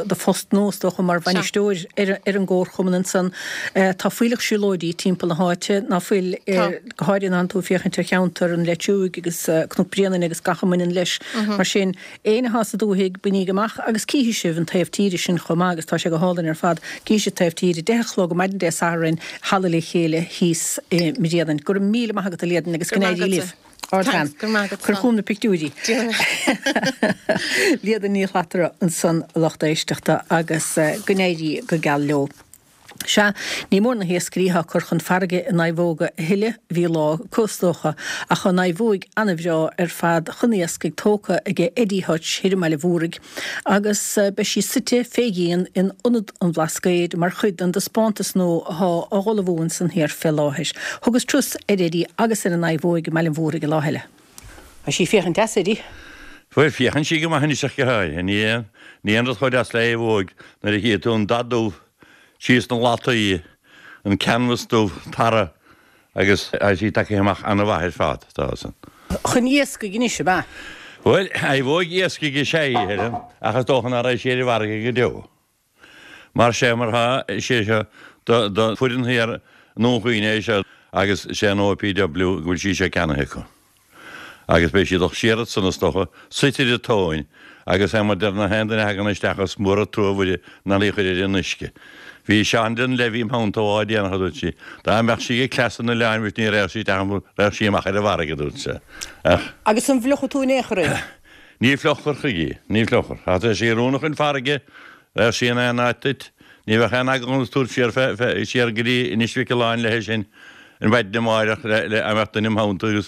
do phost nua is dócha mar
Sea.
bhainisteoir ar ar an gcomharchumann ansan. Tá fuílleach siúlóidí timpeall na háite, ná fuil?
Tá.
Go háirithe nuair atánn tú ag féachaint ar cheantar an Leitriúigh agus Cnoc Bréanainn agus gach a mbaineann leis. Mar sin, éinne atá sa dúthaigh, bainigí amach agus cífidh sibh an taobh tíre sin chomh maith agus tá sé go hálainn ar fad. Cífidh sibh taobh tíre, 10 a chlog maidin Dé Sathairn, Halla Le Chéile thíos i mBréanainn. Go raibh míle maith agat a Líadan agus
Go
go
raibh maith
n-éirí
agatsa.
libh. Ardbhean.
Thanks, go raibh maith agat.
Cuir chugam na pictiúirí.
Déanfaidh mé.
Líadan Ní Shlatara ansan a lucht éisteachta agus go n-éirí go geal leo. Sea, ní mór na hiascairí atá ag cur chun farraige a naomhóga a thuilleadh, bhí lá acu is dócha, ach tá naomhóig ana-bhreá ar fad chun iascaigh tógtha aige Eddie Hutch thoir i mBaile Mhúraigh agus beidh sí suite fé dhíon in Ionad an Bhlascaoid mar chuid den dtaispeántas nua athá á ullmhú ansan thiar fé láthair. Thugas turas ar Eddie agus ar an naomhóig i mBaile Mhúraigh an lá eile. Tá sí ag féachaint deas, Eddie.
Bhuel, féachann sí go maith anois ach go háirithe. Ní aon rud chomh deas le naomhóig nuair a chífidh tú an dath dubh síos na lataí, an canvas dubh, tarra agus tá sí tagtha amach an-mhaith ar fad, tá san.
Chun iascaigh anois, ab ea?
Bhuel, naomhóig iascaigh is ea í, a Helen, ach is dócha nach raghaidh sí ar an bhfarraige go deo. Mar sé mar thá, is é seo do do foireann thiar i nDún Chaoin é seo agus sé an OPW go bhfuil sí seo ceannaithe acu. Agus beidh sí ag dul siar ansan is dócha, suite ar an tóin agus é mar deir na haon duine a thagann isteach is mór an trua Mhuire ná í chuir ar an uisce. Bhí Seán Dunlevy im theannta lá déanach a dúirt sí, dá mbeadh sí ag cleas an oileáin mhuis ní raghadh sí isteach an raghadh sí amach ar an bhfarraige a dúirt sé. Ach.
Agus an bhfliuchfaidh tú in aon chor í?
Ní fliuchfar chuige í, ní fliuchfar. Ach tá sí oiriúnach chun farraige, bheadh sí in aon áit duit. Ní bheadh aon eagla ionat tabhairt siar fé, fé, siar go dtí Inis Mhic Aoláin léi sin an mhaidin amáireach le, le, a mbeadh duine im theannta agus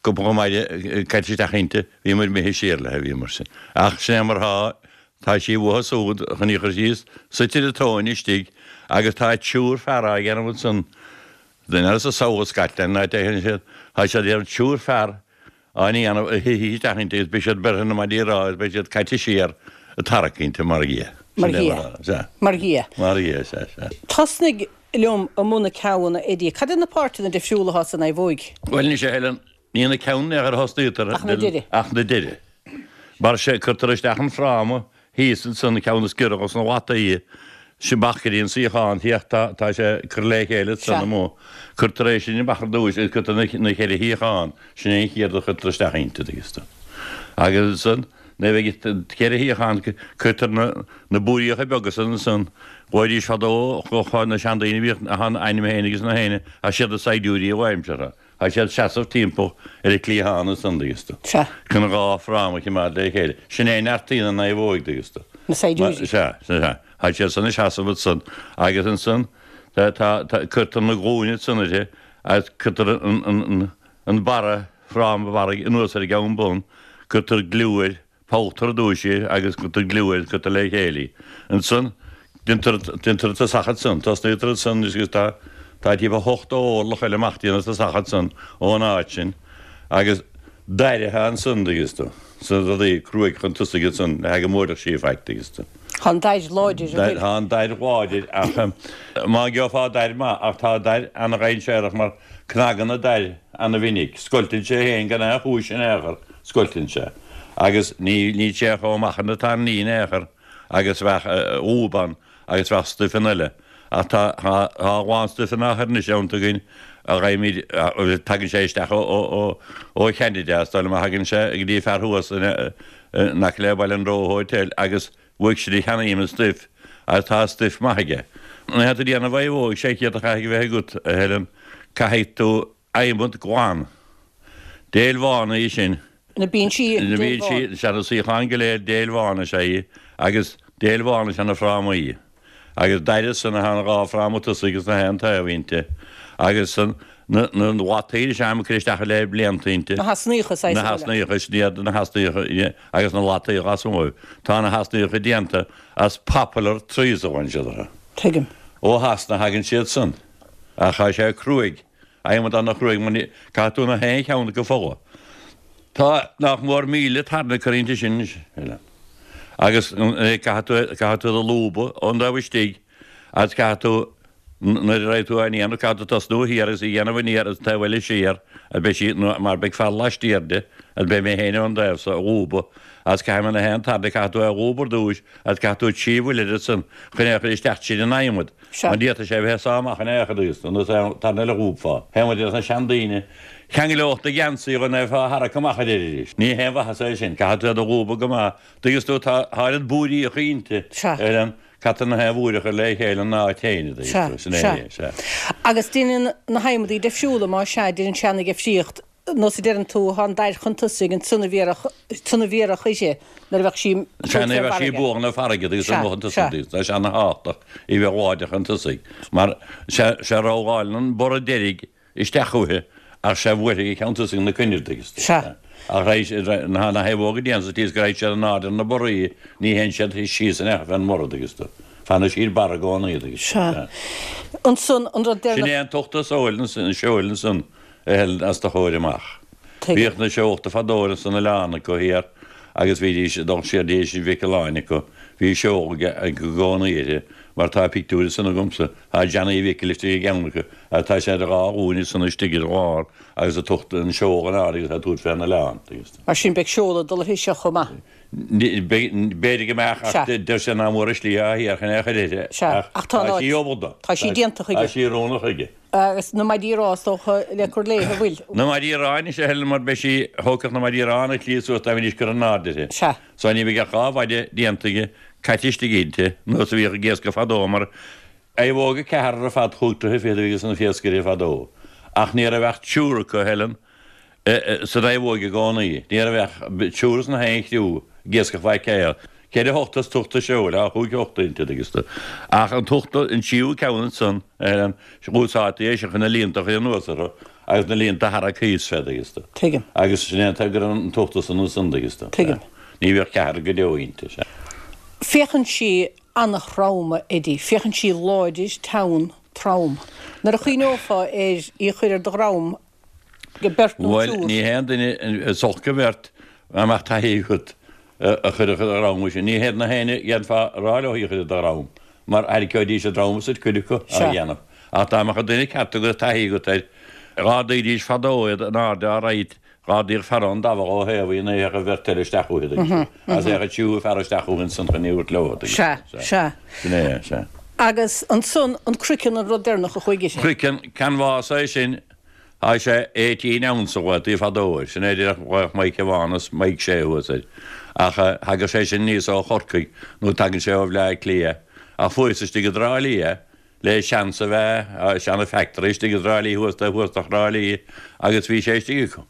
cúpla maide caite isteach inti, bhíomar imithe siar léi, bhíomar sin. Ach sin é mar thá, tá sí uathu súd chun í chur síos, suite ar an tóin istigh agus tá triúr fear á dhéanamh ansan, duine as an South of Scotland, an áit a théann siad, tá siad ar triúr fear á ndéanamh a thitfidh isteach inti agus beidh siad beirthe na maidí ráth agus beidh siad caite siar ag tarrac inti mar dhea.
Mar dhea.
Sea.
Mar dhea.
Mar dhea, sea, sea.
Tosnaigh liom i mbun na ceamhanna, Eddie. Cad iad na páirteanna difriúla atá sa naomhóig?
Bhuel anois, a Helen, ní na ceamhanna ar thosnaítear
Ach na deiridh.
Ach na deiridh. Mar sé, cuirtear isteach an fráma thíos ansan, an ceann is giorra dos na lataí, sin amach go dtí an suíochán thiar, tá, tá sé curtha le chéile ansan amuigh. Cuirtear é sin amach ar dtúis agus cuirtear na, na cheithre shuíochán, sin é an chéad a chuirtear isteach inti, tuigeann tú. Agus ansan, nuair a bheidh an ceithre shuíochán, cuirtear na, na búiríocha beaga san ansan, ghlaoidís fadó, na seandaoine a bhíodh, a ainm féin agus na héinne, as siad na saighdiúirí a aimseartha. Tá siad seasamh timpeall ar an cliathán ansan, dtuigeann tú.
Sea.
Chun an dhá fráma a chimeád le chéile. Sin é a neartaíonn an naomhóig, dtuigeann tú.
Na saighdiúirí.
Sea, sea. Tá siad san ag seasamh ansan agus ansan tá, tá, tá, cuirtear na glúine ansan uirthi agus cuirtear an, an, an, an barra, fráma barra anuas ar an gceann bun, cuirtear gliú air, Polltar ar dtúis í agus cuirtear gliú air, cuirtear le chéile í. Ansan, déantar, déantar an tosach ansan, tosnaítear ansan agus tá, tá timpeall 80 orlach eile amach dtí an tosach ansan ón áit sin agus dair atá ansan, dtuigeann tú, sna rudaí cruaidh chun tosaigh ansan le go mbuailfeadh sí faic, dtuigeann tú.
Tá an dair láidir, an bhfuil?
Tá an dair láidir ach má gheofá dair maith ach tá dair ana-dhainséarach mar cnagann an dair ana-mhinic, scoilteann sé féin gan aon chúis in aon chor. Scoilteann sé. Agus ní, níl sé chomh maith is atá an líon in aon chor agus bheadh lúb ann agus bheadh stuifeanna eile. Ach tá, tá, tá a lán stuifeanna á chur anois iontu againn a gheibhimid, tagann sé isteach ó, ó, ó, ó Cheanada, is dóigh liom a thagann sé go dtí fear thuas in, in aice le Baile an Roe Hotel agus uaidh sin a cheannaím an stuif agus tá stuif maith aige. Nuair atá tú ag déanamh naomhóg 600 a chaithfidh a bheith agat, a Helen, caithfidh tú adhmad glan. Déil bhán í sin.
Na binsí,
Na déil bhán. binsí, sea, na suíocháin go léir, déil bhán is ea í, agus déil bhán is ea na frámaí. Agus dair san atá na dhá fráma tosaigh agus na haon taobh inti. Agus san, na, na lataí is ea a cur isteach le blianta inti.
Na heasnaíocha,
saghas Na heasnaíocha, sin iad na heasnaíocha, agus na lataí lasmuigh. Tá na heasnaíocha déanta as poplar trees a bhain siad orthu.
Tuigim.
Ó Shasana a thagann siad san. Ach tá sé cruaidh. Adhmad ana chruaidh mar ní caithfidh tú na haon cheann acu a pholladh. Tá nach mór 1,000 tairne curtha inti sin anois, Helen. Agus caithfidh tú caithfidh tú iad a lúbadh ón dtaobh istigh agus caithfidh tú nuair a raghaidh tú á ndéanamh caithfidh tú tosnú thiar agus í a dhéanamh aniar agus an taobh eile siar agus beidh sí mar beidh fear laistiar de agus beidh mé féin ón dtaobh so a lúbadh agus caithfidh mé na haon tairne caithfidh tú é a lúbadh ar dtúis agus caithfidh tú trí bhuille air ansan chun é a chur isteach tríd an adhmad.
Sea.
Mar ní fhéadfadh sé a bheith ag sá amach in aon chor agus nós é tairne eile a dhúbfá. Théadh muid leis na seandaoine. Cheangaileodh do gheansaí chun é a tharrac amach aréir arís. Ní haon mhaitheas é sin. Caithfidh tú iad a dhúbadh go maith. Tuigeann tú, tá oiread búiríocha inti.
Sea.
Ar an, caithfidh na haon bhúir a chur le chéile ina áit féin, a dtuigeann
Sea.
tú. Sin é
Sea.
é. Sea.
Agus déanann na hadhmadaí deifriúla, más ea, déanann sé ana-dheifríocht. Nós a deireann tú, tá an dair chun tosaigh, ansan a bhéarfadh, ansan a bhéarfadh uirthi nuair a bheadh sí
Sea, nuair a bheadh sí ag bualadh na farraige agus amuigh chun tosaigh, tá sé ana-thábhachtach í bheith láidir chun tosaigh, mar sea, sea rolláileann an borradh deiridh isteach uaithi ach sea bhuailfidh a ceann tosaigh na coinnir, tuigeann tú.
Sea.
Ach raghaidh, na naomhóga déanta sa tslí is go raghaidh siad in airde ar na borraí, ní théann siad síos in aon chor fén mborradh, tuigeann tú. Fanann siad ar barra i gcónaí, tuigeann tú.
Sea. Ansan, an rud
Sin
deireanach.
é an t-uachtar seoil ansan, seoil ansan. a Helen os do chomhair amach.
Tuigim.
Bhíodh na seolta fadó ar san oileán acu thiar agus bhídís ag dul siar dtí Inis Mhic Aoláin acu. Bhí seol i gcónaí uirthi, mar tá pictiúr ansan agamsa, tá Johnny Mhicil istigh i gceann acu agus tá sé ar a dhá ghlúin ansan istigh ar lár agus ag tabhairt an seol in airde agus á tabhairt fén oileán.
Mar sin beidh seol ag dul uirthi seo chomh maith.
B'fhéidir go mbeadh ach
Sea.
deir sé nach mór an slí atá thiar chun é a chur uirthi
Sea,
ach
ach tá an
tá
áit,
sí ullmhaithe.
tá sí déanta
Tá
chuige.
sí oiriúnach chuige.
Agus na maidí rámha is dócha le cur léi, an bhfuil?
Na maidí rámha anois a Helen mar beidh sí, thógfadh na maidí rámha an tslí suas dá mbeidís curtha in airde uirthi.
Sea.
So ní bheidh ach dhá mhaide déanta aige, caite istigh inti, nós a bhíodh ag iascach fadó mar naomhóga ceathrar ar fad chúig troithe fichead a bhí ag na hiascairí fadó. Ach ní raibh ach triúr acu, a Helen, sa naomhóig i gcónaí. Ní raibh ach triúr sna haon chriú ag iascach Mhaigh Céil. Ceithre thochta is tochta seoil, thá chúig thochta inti, agus tú. Ach an tochta, an tríú ceann ansan, a Helen, úsáidtí é sin chun na líonta a chur anuas orthu agus na líonta a tharrac thíos fé, agus tú.
Tuigim.
Agus sin é an t-eagar an tochta san ansan, agus tú.
Tuigim.
Ní bhíodh ceathrar go deo inti, sea.
Féachann sí an-throm, a Eddie. Féachann sí láidir, teann, trom. Nuair a chuimhneofá ar í a chur ar do dhrom, beirt nó
Bhuel,
triúr.
ní haon duine is olc an bheart dá mbeadh taithí agat a chuirfeadh ar do dhrom í sin. Ní hiad na héinne a dhéanfá a rá leo í a chur ar do dhrom, mar tharraiceoidís a ndrom asat cuid acu á dhéanamh. Ach dá mbeadh an duine ceart agat, taithí agat air, dh'ardaídís fadó iad in airde all right, dh'ardaíodh fear ón dtabhach ó thaobh í nuair a théadh an bheirt eile isteach uaithi, tuigeann tú. Agus théadh an tríú fear isteach uaithi ansan chun í a thabhairt leo, tuigeann
Sea,
tú.
sea.
Sin é, sea.
Agus ansan an croiceann an rud deireanach a chuaigh uirthi.
Croiceann, canbhás é sin, Thá sé 18 ounce a ghlaotaí fadó air, sin é díreach ghlaodh Mike Evanas, Mike Shea thuas air. Ach thagadh sé sin aníos ó Chorcaigh nó tagann sé ó Bhleá Cliath. Ach fuarthas istigh i dTrá Lí é, le seans a bheith, seana factory istigh i dTrá Lí thuas taobh thuas de Thrá Lí agus bhí sé istigh acu.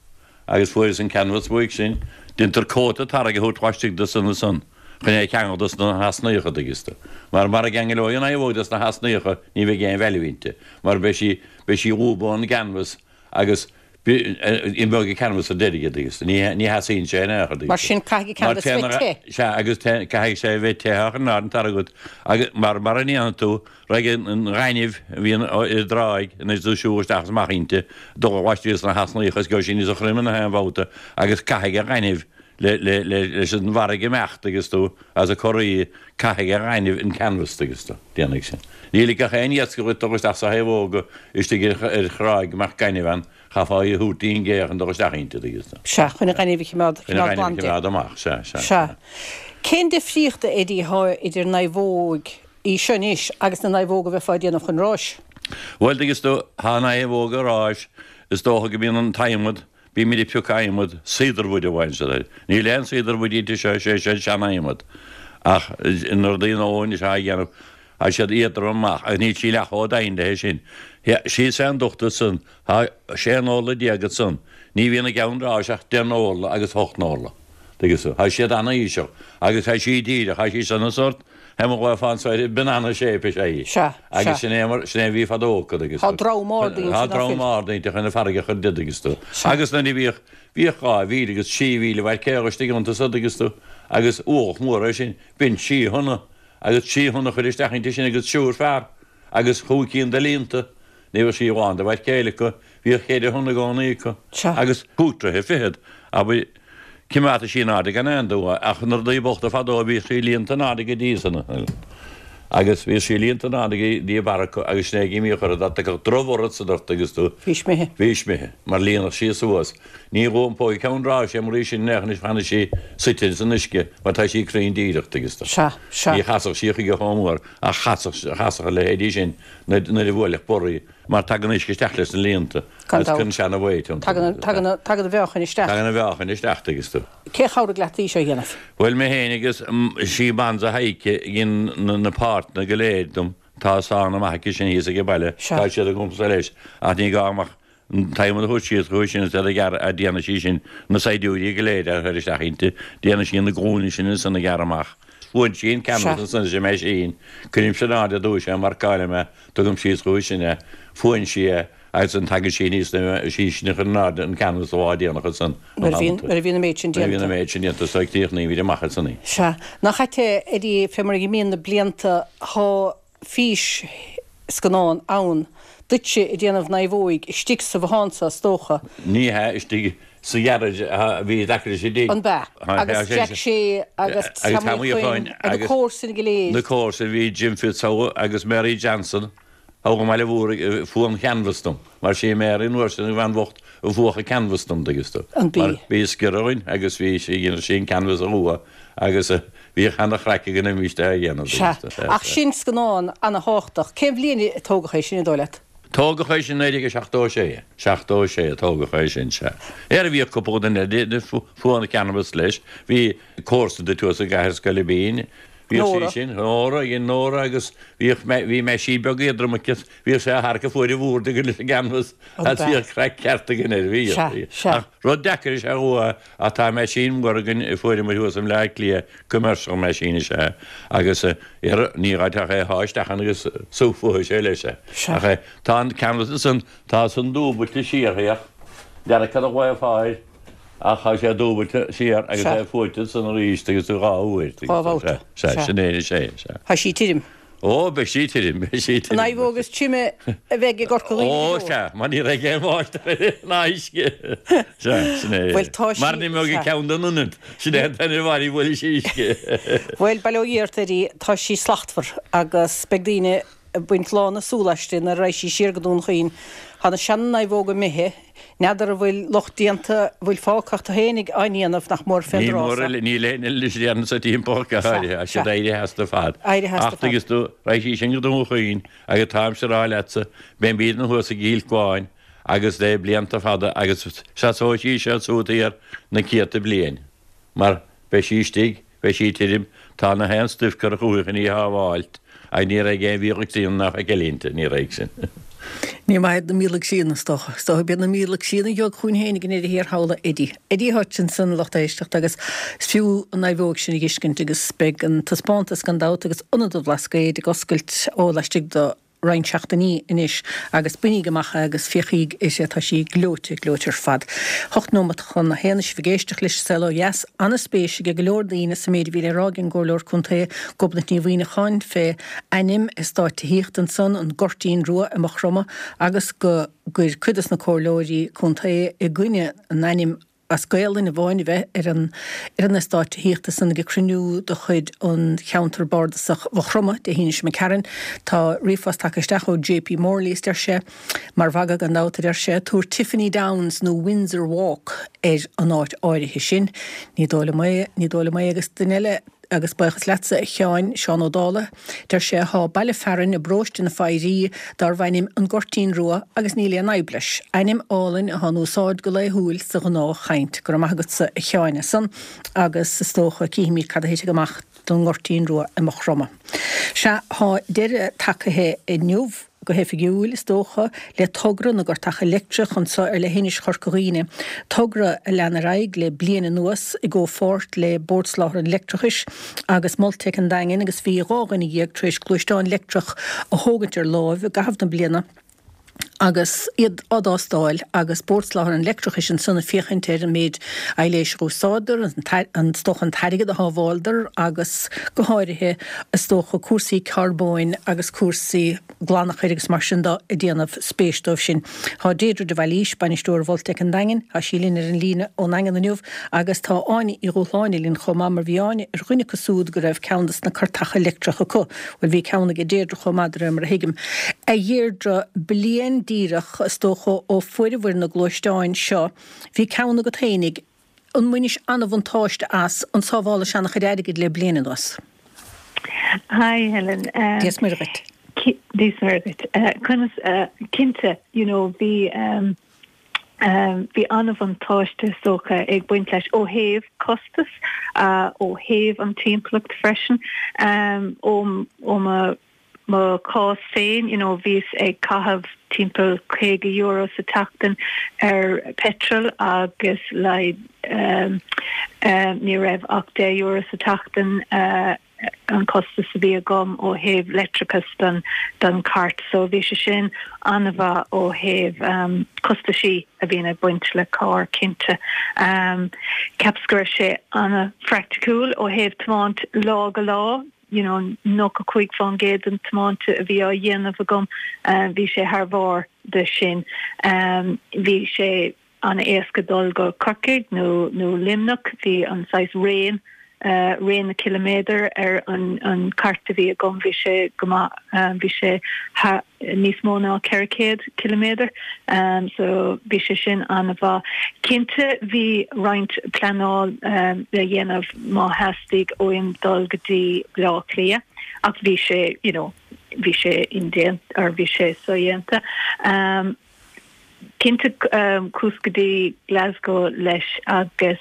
Agus fuarthas an canbhás uaidh sin. Déantar cóta tarrac a thabhairt laistigh de san ansan. Chun é a cheangal dos na heasnaíocha, an dtuigeanns tú. Mar mara gceanglóidh an naomhóg dos na heasnaíocha ní bheidh aon value inti, mar beidh sí, beidh sí lúbtha ón gcanvas agus imeoidh an canvas ar deireadh, an dtuigeanns tú. Ní, ní sheasaíonn sé in aon chor, an dtuigeanns tú.
Mar sin caithfidh an canvas bheith te.
Sea, agus caithfidh sé a bheith te á chur in airde an t-airgead agat, agus mar, mara ndéanfaidh tú, raghaidh an ghaineamh a bhíonn ar an dtráigh anois ag siúl isteach is amach inti, dul laistiar de na heasnaíocha is gheobhaidh sí níosa throime na haon bhabhta agus caithfidh an ghaineamh leis an bhfarraige imeacht agus tú as a corraí, caithfidh an ghaineamh an canvas agus tú, déanfaidh sin. Ní ligfeadh aon iascach dhuit dul isteach sa thaobhóga istigh ar thráigh go mbeadh gaineamh ann, chaithfeá í a thabhairt dtí'n gcé chun dul isteach inti, agus tú.
Sea, chun an ghaineamh a choimeád,
Chun an ghaineamh a choimeád amach, sea, sea,
sea. Cén difríocht, a Eddie, atá idir naomhóg í seo anois agus na naomhóga a bheifeá ag déanamh chun ráis?
Bhuel, tuigeanns tú, tá naomhóga ráis, is dócha go mbíonn an t-adhmad, Bímid ag piocadh adhmad, cedarwood a bhain siad air. Níl aon cedarwood inti seo, is é seo an sean-adhmad. Ach na rudaí nua anois á dhéanamh, tá siad éadrom amach agus níl sí leath chomh doimhin leis sin. Síos fén ducht ansan, tá 16 n-orla ansan. Ní bhíonn i gceann ráis ach deich n-orla agus ocht n-orla. Tuigeann tú? Tá siad an-íseal agus tá sí díreach, tá sí san an sórt, Tá mo ghlaoch fán soir, banana shape is ea í.
Sea,
sea. Agus sin é mar, sin é a bhí fadó acu agus.
Tá drom ard inti,
Tá drom ard inti chun an farraige a chur di agus tú. Sea. Agus nuair a bhíodh, bhíodh 2,000 agus 3,000 mhaircéal istigh iontu san agus tú, agus ualach mór é sin, b'in trí thonna, agus trí thonna a chur isteach inti sin agus triúr fear, agus chúig cinn de líonta. Ní bheadh sí lán de mhaircéil acu, bhíodh cheithre thonna i gcónaí acu, agus chúig troithe fichead, abair, cimeádta sí in airde gan aon dua, ach na rudaí bochta fadó bhíodh sí líonta in airde go dtí san, agus bhíodh sí líonta in airde go dtí a barra acu, agus sin é an imíodh orthu, dá dtiocfadh drochbhorrad san ort agus tú,
Bhís imithe.
Bhís imithe, mar líonadh sí suas. Ní dh'iompóidh ceann ráis é mar í sin, anois fanfaidh sí suite san uisce, mar tá sí cruinn díreach, agus tú.
Sea, sea.
Ní chasfadh sí chuige chomh mór, ach chasfadh, chasfadh a leithéidí sin. Nuair a bhuailfeadh borradh í, mar tagann uisce isteach leis na líonta
Gan
agus
dabht.
cuireann sé ana weight iontu.
Tagann, tagann, tagann an mheáchain isteach.
Tagann an mheáchain isteach, tuigeanns tú.
Cé a chabhraigh leat í seo a dhéanamh?
Bhuel, mé féin agus sí Bonza Heike a dhein na páirteanna go léir dom. Tá sánna maith aici sin thíos ag an baile.
Sea.
Tá siad agamsa leis, ach ní gá dom ach an t-adhmad a thabhairt síos chucu sin is iad a ghearradh, a déanfaidh sí sin na saighdiúirí go léir a chur isteach inti, déanfaidh sí na glúine sin ansan a ghearradh amach. Fuann sí an canvas ansan leis an meaisín, cuirimse in airde arís é, marcáilim é, tugaim síos chuici sin é, fuann sí é agus ansan tagann sí aníos is í sin a chuir in airde an canvas an lá déanach ansan.
Nuair a bhíonn, nuair a bhíonn an méid sin
Nuair a bhíonn
déanta.
an méid sin déanta, so críochnaímid amach ansan í.
Sea. Nach ait é, Eddie, fé mar a imíonn na blianta, thá fís-scannán ann duitse ag déanamh naomhóig istigh sa bhothán so, is dócha.
Ní hea, istigh sa ghearáid a bhí i dtaca leis an dtigh.
An b'ea? Agus Jack Shea agus
Tommy
Uí Chuinn agus na comharsana go léir.
Na comharsana, bhí Jim Fitzhugh agus Mary Johnson thall i mBaile Mhúirne a fuaigh an canvas dom, mar sí Mary an uair sin an bhean bhocht a fuadh an canvas dom, dtuigeanns tú.
An b'í?
Mar bhí sciorradh againn agus bhí sí, dhéanadh sí an canvas a fhuadh agus Bhíodh ana-chraic againn arís á dhéanamh.
Sea, ach sin scannán ana-thábhachtach. Cén bhliain a tógadh é sin, an dóigh leat?
Tógadh é sin 1976. 76 a tógadh é sin, sea. Ar bhíodh cúpla duine eile a fuaigh an canvas leis. Bhí comharsa duit thuas i gCathair Scoilbín. Bhíodh sí sin, Nóra, dhein Nóra agus bhíodh, bhí meaisín beag éadrom aici, bhíodh sé á tharrac ag fuair an bhoird againn leis an gcanvas agus bhíodh craic ceart againn air, bhíodh, bhíodh. Ach rud deacair is ea é Ach tá meaisín mór againn a fuaireamar thuas i mBleá Cliath, commercial machine is ea é, agus ní gá ach é a shá isteach ann agus sú fuathfaidh sé leis é. Ach tá an canvas ansan, tá san dúbailte siar, féach, n'fheadar cad a ghlaofá air, ach tá sé dúbailte siar agus é fuaite ansan arís agus tú dhá uair.
Dhá bhabhta.
Sea, sin é, sea, sea.
Tá sí tirim.
Ó, beidh sí tirim, beidh sí tirim.
An naomhóg is tirime a bheidh i gCorca Dhuibhne
go deo. Ó, sea, mar ní raibh aon bháisteach uirthi ná uisce. Sea, sin é.
Bhuel, tá sí,
Mar ní mbeadh
sea.
ceann den ionad, sin é an t-aon bhaile a bhfuil sí uisce.
Bhuel, bail ó Dhia ort, Eddie, tá sí slachtmhar agus beidh daoine ag baint lán na súl aisti nuair a raghaidh sí siar go Dún Chaoin. Tá na sean-naomhóga imithe. N'fheadar an bhfuil lucht déanta, an bhfuil fágtha ach tú fhéinig á ndéanamh nach mór fén
Ní
dtráth
mór
so.
eile, níl aon eile anois a dhéanann sa timpeall go
Sea,
háirithe, tá
sea.
siad éirithe as ar fad.
Éirithe as
Ach
ar fad.
tuigeanns tú, raghaidh sí sin go Dún Chaoin agus táimse a rá leatsa, beimídne thuas i gCill Cuáin agus le blianta fada agus seasóidh sí seo ansúd thiar na céadta bliain mar beidh sí istigh, Beidh sí tirim. Tá na haon stuif curtha chuici chun í a shábháilt, ach ní raibh aon mhíocha críonna ná feiceáil inti, ní raibh sin.
Ní maith iad na míológ síona, is dócha. Is dócha b'iad na míológ síona a gheobhadh chugainn féin ag an ndeireadh thiar thall, a Eddie. Eddie Hutchinson, lucht éisteachta, agus is fiú an naomhóg sin a dh'fheiscint agus beidh an taispeántas gan dabht agus Ionad an Bhlascaoid ag oscailt ó laistigh de roinnt seachtainí anois agus bainíg amach é agus féachaíg uirthi, tá sí gleoite, gleoite ar fad. Hocht nóimeat chun a haon is sibh ag éisteacht leis an Saol Ó Dheas. Ana-spéis ag go leor daoine sa méid a bhí le rá ag an gComhairleoir Contae Gobnait Ní Mhuimhneacháin fé ainm eastáit tithíochta ansan, an Goirtín Rua i Maigh Chromtha agus go gcuir cuid dos na comhairleoirí contae i gcoinne an ainm as Gaolainn amháin a bheith ar an ar an eastát tithíochta san ag cruinniú de chuid an Cheantar Bardasach Mhaigh Chromtha Dé hAoine seo imigh tharainn. Tá ríomhphost tagtha isteach ó JP Morley is deir sé, Mar mhagadh gan dabht, a deir sé, tabhair Tiffany Downs nó Windsor Walk ar an áit áirithe sin. Ní dóigh liom é, ní dóigh liom é agus duine eile, Agus buíochas leatsa, a Sheáin, Seán Ó Dálaigh, deir sé, thá baile fearainn i bparóiste na Foirí darbh ainm An Goirtín Rua agus níl aon fhadhb leis. Ainm álainn athá in úsáid go laethúil sa ghnáth chaint. Go raibh maith agatsa, a Sheáin, as san agus is dócha cífimid cad a thitfidh amach don nGoirtín Rua i Maigh Chromtha. Sea, thá deireadh tagaithe inniu. go hoifigiúil, is dócha, le togra na gcartacha leictreach anso ar leithinis Chorca Dhuibhne, togra a lean ar aghaidh le bliain anuas i gcomhpháirt le Bord Soláthair an Leictreachais agus Multec an Daingin agus bhí 12 dhuine tar éis gluaisteán leictreach a thógaint ar láimh i gcaitheamh na bliana agus iad á dtástáil agus Bord Soláthair an Leictreachais ansan ag féachaint ar an méid aibhléis a dh'úsáideadar, is dócha an t-airgead a shábháileadar agus go háirithe is dócha cúrsaí carbóin agus cúrsaí glanachair agus mar sin de ag déanamh spéis dóibh sin. Tá Deirdre de Bhailís, bainisteoir Mhultec an Daingin, tá sí linn ar an líne ón nDaingean inniu agus tá Áine Uí Dhúshláine linn chomh maith mar bhí Áine ar dhuine acu súd go raibh ceann des na cartacha leictreach acu. Bhuel bhí ceann aige Deirdre chomh maith de réir mar a thuigim. A Dheirdre, bliain díreach is dócha ó fuaireabhair na gluaisteáin seo, bhí ceann agat fhéinig, An mbainis an-bhuntáiste as, an sábhálais an-chuid airgid le bliain anuas?
Hi Helen.
Dia is Muire dhuit.
Dia is Muire dhuit. Conas, cinnte, you know, bhí bhí an-bhuntáiste is dócha ag baint leis ó thaobh costas, ó thaobh an timpeallacht freisin, ó ó mo mo chás féin, you know, bhíos ag caitheamh timpeall €50 sa tseachtain ar petrol agus like ní raibh ach €10 sa tseachtain an costas a bhí agam ó thaobh leictreachas don don chairt so bhí sé sin an-mhaith ó thaobh costaisí a bhíonn ag baint le carr cinnte. Cheapas go raibh sé an-phraiticiúil ó thaobh tiomáint lá go lá. you know 95% den tiomáint a bhí á dhéanamh agam, bhí sé thar bharr de sin. Bhí sé an-éasca dul go Corcaigh nó nó Luimneach, bhí an saghas raon, raon na ciliméadar ar an an cairt a bhí agam, bhí sé go maith, bhí sé níos mó ná 400 ciliméadar so bhí sé sin an-mhaith. Cinnte bhí roinnt pleanáil le dhéanamh má theastaigh uaim dul go dtí Baile Átha Cliath ach bhí sé you know bhí sé indéanta or bhí sé sodhéanta. Cinnte chuas go dtí Glasgow leis agus.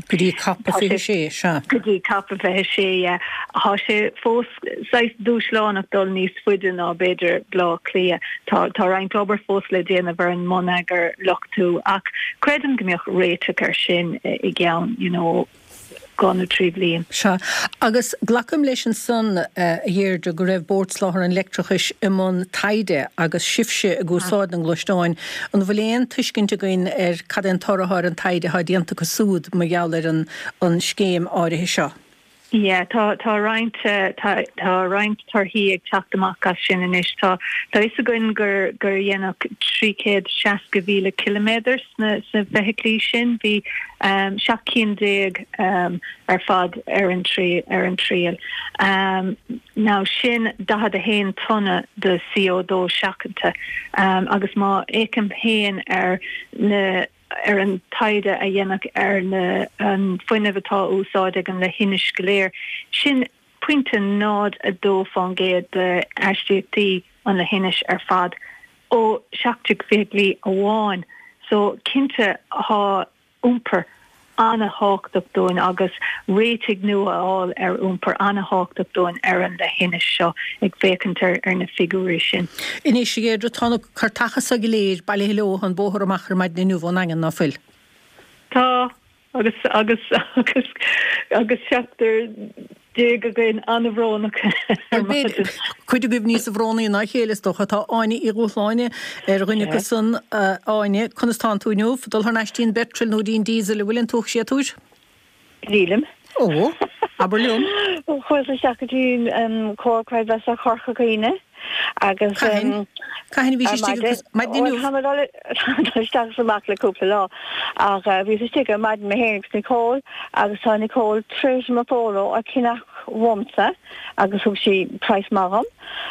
Go dtí Cop 26, sea.
Go dtí Cop 26, yeah. Tá sé fós saghas dúshlánach dul níos faide ná b'fhéidir Baile Átha Cliath. Tá tá roinnt obair fós le déanamh ar an mbonneagar luchtú ach creidim go mbeadh réiteach air sin i gceann you know 2 nó 3 bhliain.
Sea. Agus glacaim leis ansan, a Dheirdre, go raibh Bord Soláthair an Leictreachais i mbun taighde agus sibhse ag úsáid na ngluaisteáin. An bhfuil aon tuiscint againn ar cad é an toradh atá ar an taighde atá déanta acu súd mar gheall ar an an scéim áirithe seo?
Yeah, tá tá roinnt tá tá roinnt torthaí ag teacht amach as sin anois. Tá tá fhios againn gur gur dhéanadh 360,000 ciliméadar sna sna feithiclí sin. Bhí 17 cinn ar fad ar an ar an triail. Now sin 41 tonna de CO2 seachanta agus má fhéachaim féin ar na ar an taighde a dhéanadh ar na an fuinneamh atá á úsáid ag an leithinis go léir, sin pointe 0.2 fán gcéad de aistíochtaí an leithinis ar fad. Ó 17 feithiclí amháin. So, cinnte, thá iompar. An-thábhachtach dúinn agus réitigh nua a fháil ar iompar an-thábhachtach dúinn ar an leithinis seo ag féachaint ar na figiúirí sin.
Anois, a Dheirdre, tá na cairteacha so go léir bailithe leo an bóthar amach ar maidin inniu ón nDaingean, ná fuil?
Tá, agus, agus, agus, agus 17 againn an-bhrónach ar maidin.
Cuid agaibh níosa bhrónaí ná a chéile, is dócha. Tá Áine Uí Dhúshláine ar dhuine acu san. Áine, conas tánn tú inniu? Dul thar n-ais dtí'n bpetrol nó dtí'n diesel, an bhfuil an t-uathshéatúir?
Nílim.
Ó, abair liom.
Chuas isteach go dtí an Comhar Creidmheasa Chorca Dhuibhne agus.
Cathain? Cathain a bhís istigh agus maidin inniu?
Tá mé ag dul isteach is amach le cúpla lá ach bhíos istigh ar maidin mé féin agus Nicole agus tá Nicole tar éis mo Pholo a cheannach uaimse agus thug sí praghas maith dhom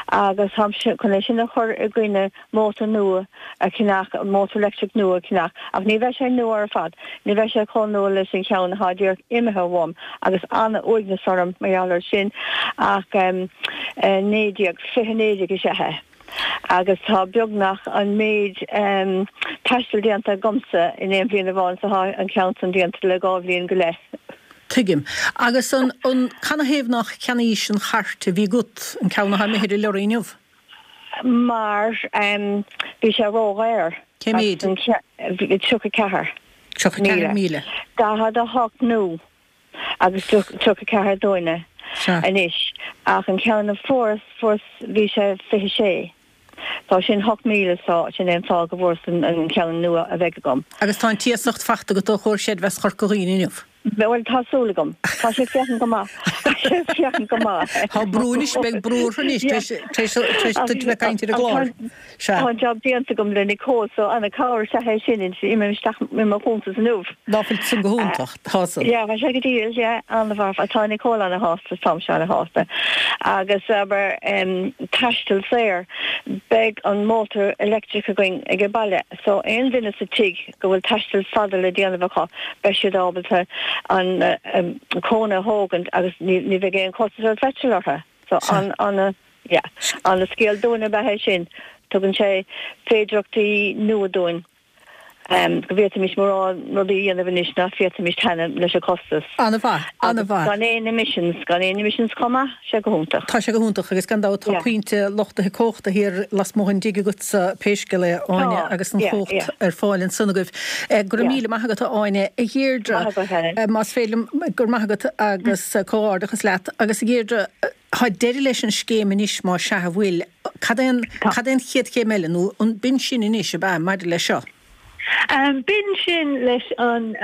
agus táim chun é sin a chur i gcoinne mótar nua a cheannach, mótar leictreach nua a cheannach, ach ní bheidh sé nua ar fad, ní bheidh sé chomh nua leis an cheann atá díreach imithe uaim agus an-uaigneas orm mar gheall air sin, ach 19, 2019 is ea é agus tá beagnach an méid taistil déanta agamsa in aon bhliain amháin is atá an ceann san déanta le dhá bhliain go leith.
Tuigim. Agus an, an, canathaobh nár cheannaís an chairt a bhí agat, an ceann atá imithe ar an lorry inniu?
mar bhí sé ródhaor.
Cé mhéid?
34.
34,000.
48 nua agus 34 dúinne anois ach an ceann a fuaireas, fuaireas, bhí sé 26. Tá sin 8,000 so sin é an fáth go bhfuaireas an ceann nua a bheidh agam.
Agus tá an t-iasacht fachta agat ó Chomhar Creidmheasa Chorca Dhuibhne inniu?
Bhuel, tá súil agam. Tá sé ag féachaint go maith. Tá sé ag féachaint go maith.
Tá brú anois, beidh brú orthu anois tar éis duit bheith ag caint ar an gclár.
Sea. Tá an job déanta agam le Nicole so an-chabhair is ea é sin imím isteach i mo chuntas inniu.
Ná fuil san go hiontach? Tá
san. Yeah, tá sé go diail, yeah, an-mhaith. Tá Nicole an-shásta, táimse an-shásta. Agus abair, taisteal saor, beidh an mótar leictreach againn ag an baile so aon duine sa tigh go bhfuil taisteal fada le déanamh acu, beidh siad ábalta an cóna a thógaint agus ní bheidh aon chostas ar pheitreal orthu. So an, an, yeah, an-scéal dúinn ab ea é sin. Tugann sé féidireachtaí nua dúinn go bhféadfaimis mórán rudaí a dhéanamh anois nach bhféadfaimis cheana leis an chostas.
An-mhaith, an-mhaith.
Gan aon emissions, gan aon emissions chomh maith. sé go hiontach.
Tá sé go hiontach agus gan dabht tá pointe luchtaithe cumhachta thiar lasmuigh den dtigh agatsa pé scéal é, a Áine, agus an chumhacht ar fáil ansan agaibh. Go raibh míle maith agat, a Áine. A Dheirdre, más féidir liom, go raibh maith agat agus comhghairdeachas leat. Agus a Dheirdre, tá deireadh leis an scéim anois más ea a bhfuil. Cad é an, cad é an chéad chéim eile nó an b'in sin anois ab ea maidir leis seo?
B'in sin leis an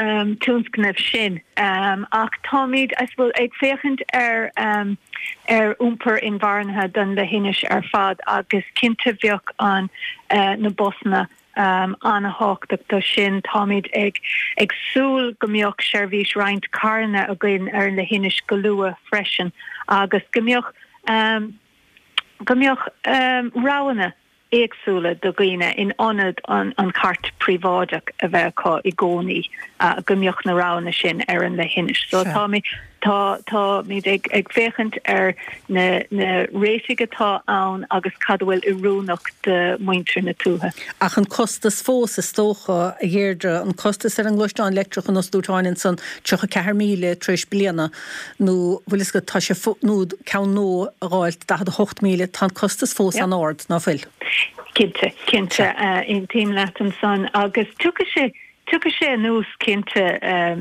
tionscnamh sin ach táimid, I suppose, ag féachaint ar ar iompar inmharthana don leithinis ar fad agus cinnte bheadh an na busanna an-thábhachtach do sin. Táimid ag ag súil go mbeadh seirbhís roinnt carranna againn ar an leithinis go luath freisin agus go mbeadh go mbeadh roghanna éagsúla do dhaoine in ionad an chairt phríobháideach a bheith acu i gcónaí, go mbeadh na roghanna sin ar an leithinis. So tá tá táimid ag ag féachaint ar na na réitigh atá ann agus cad a bhfuil oiriúnach do mhuintir na tuaithe.
Ach an costas fós, is dócha, a Dheirdre, an costas ar an ngluaisteán leictreach ar nós a dúirt Áine ansan, 34,000 tar éis bliana, nó bhfuil fhios agat, tá sé, nó ceann nua a dh'fháilt, 48,000, tá an costas fós an-ard, ná fuil?
Cinnte, cinnte, aontaím leat ansan agus tiocfaidh sé, tiocfaidh sé anuas cinnte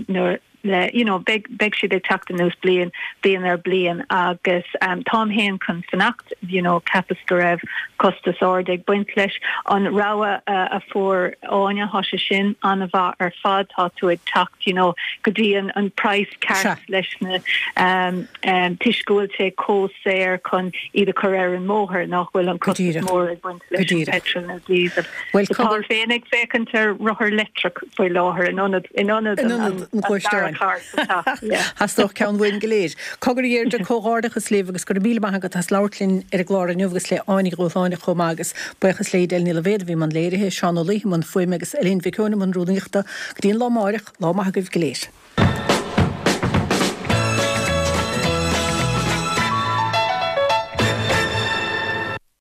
nuair le, you know, beidh, beidh siad ag teacht anuas bliain, bliain ar bliain agus táim féin chun fanacht, you know, cheapas go raibh costas ard ag baint leis. An rogha a fuair Áine, tá sé sin an-mhaith ar fad, tá tú ag teacht, you know, go dtí an, an praghas ceart leis na toisc go bhfuil sé chomh saor chun iad a chur ar an mbóthar nach bhfuil an costas mór ag baint leis an petrol nó diesel. Táim féin ag féachaint ar rothar leictreach faoi láthair in ionad in ionad an dara carr
sa teach. Theastódh ceann uainn go léir. Cogar a Dheirdre, comhghairdeachas libh agus go raibh míle maith agat as labhairt linn ar an gclár inniu agus le Áine Ní Dhúshláine chomh maith agus buíochas le Edel Ní Loibhéad a bhí i mbun léirithe, Seán Ó Laoithe i mbun fuaime agus Eileen Mhic Eoin i mbun rúnaíochta. Go dtí an lá amáireach, lá maith agaibh go léir.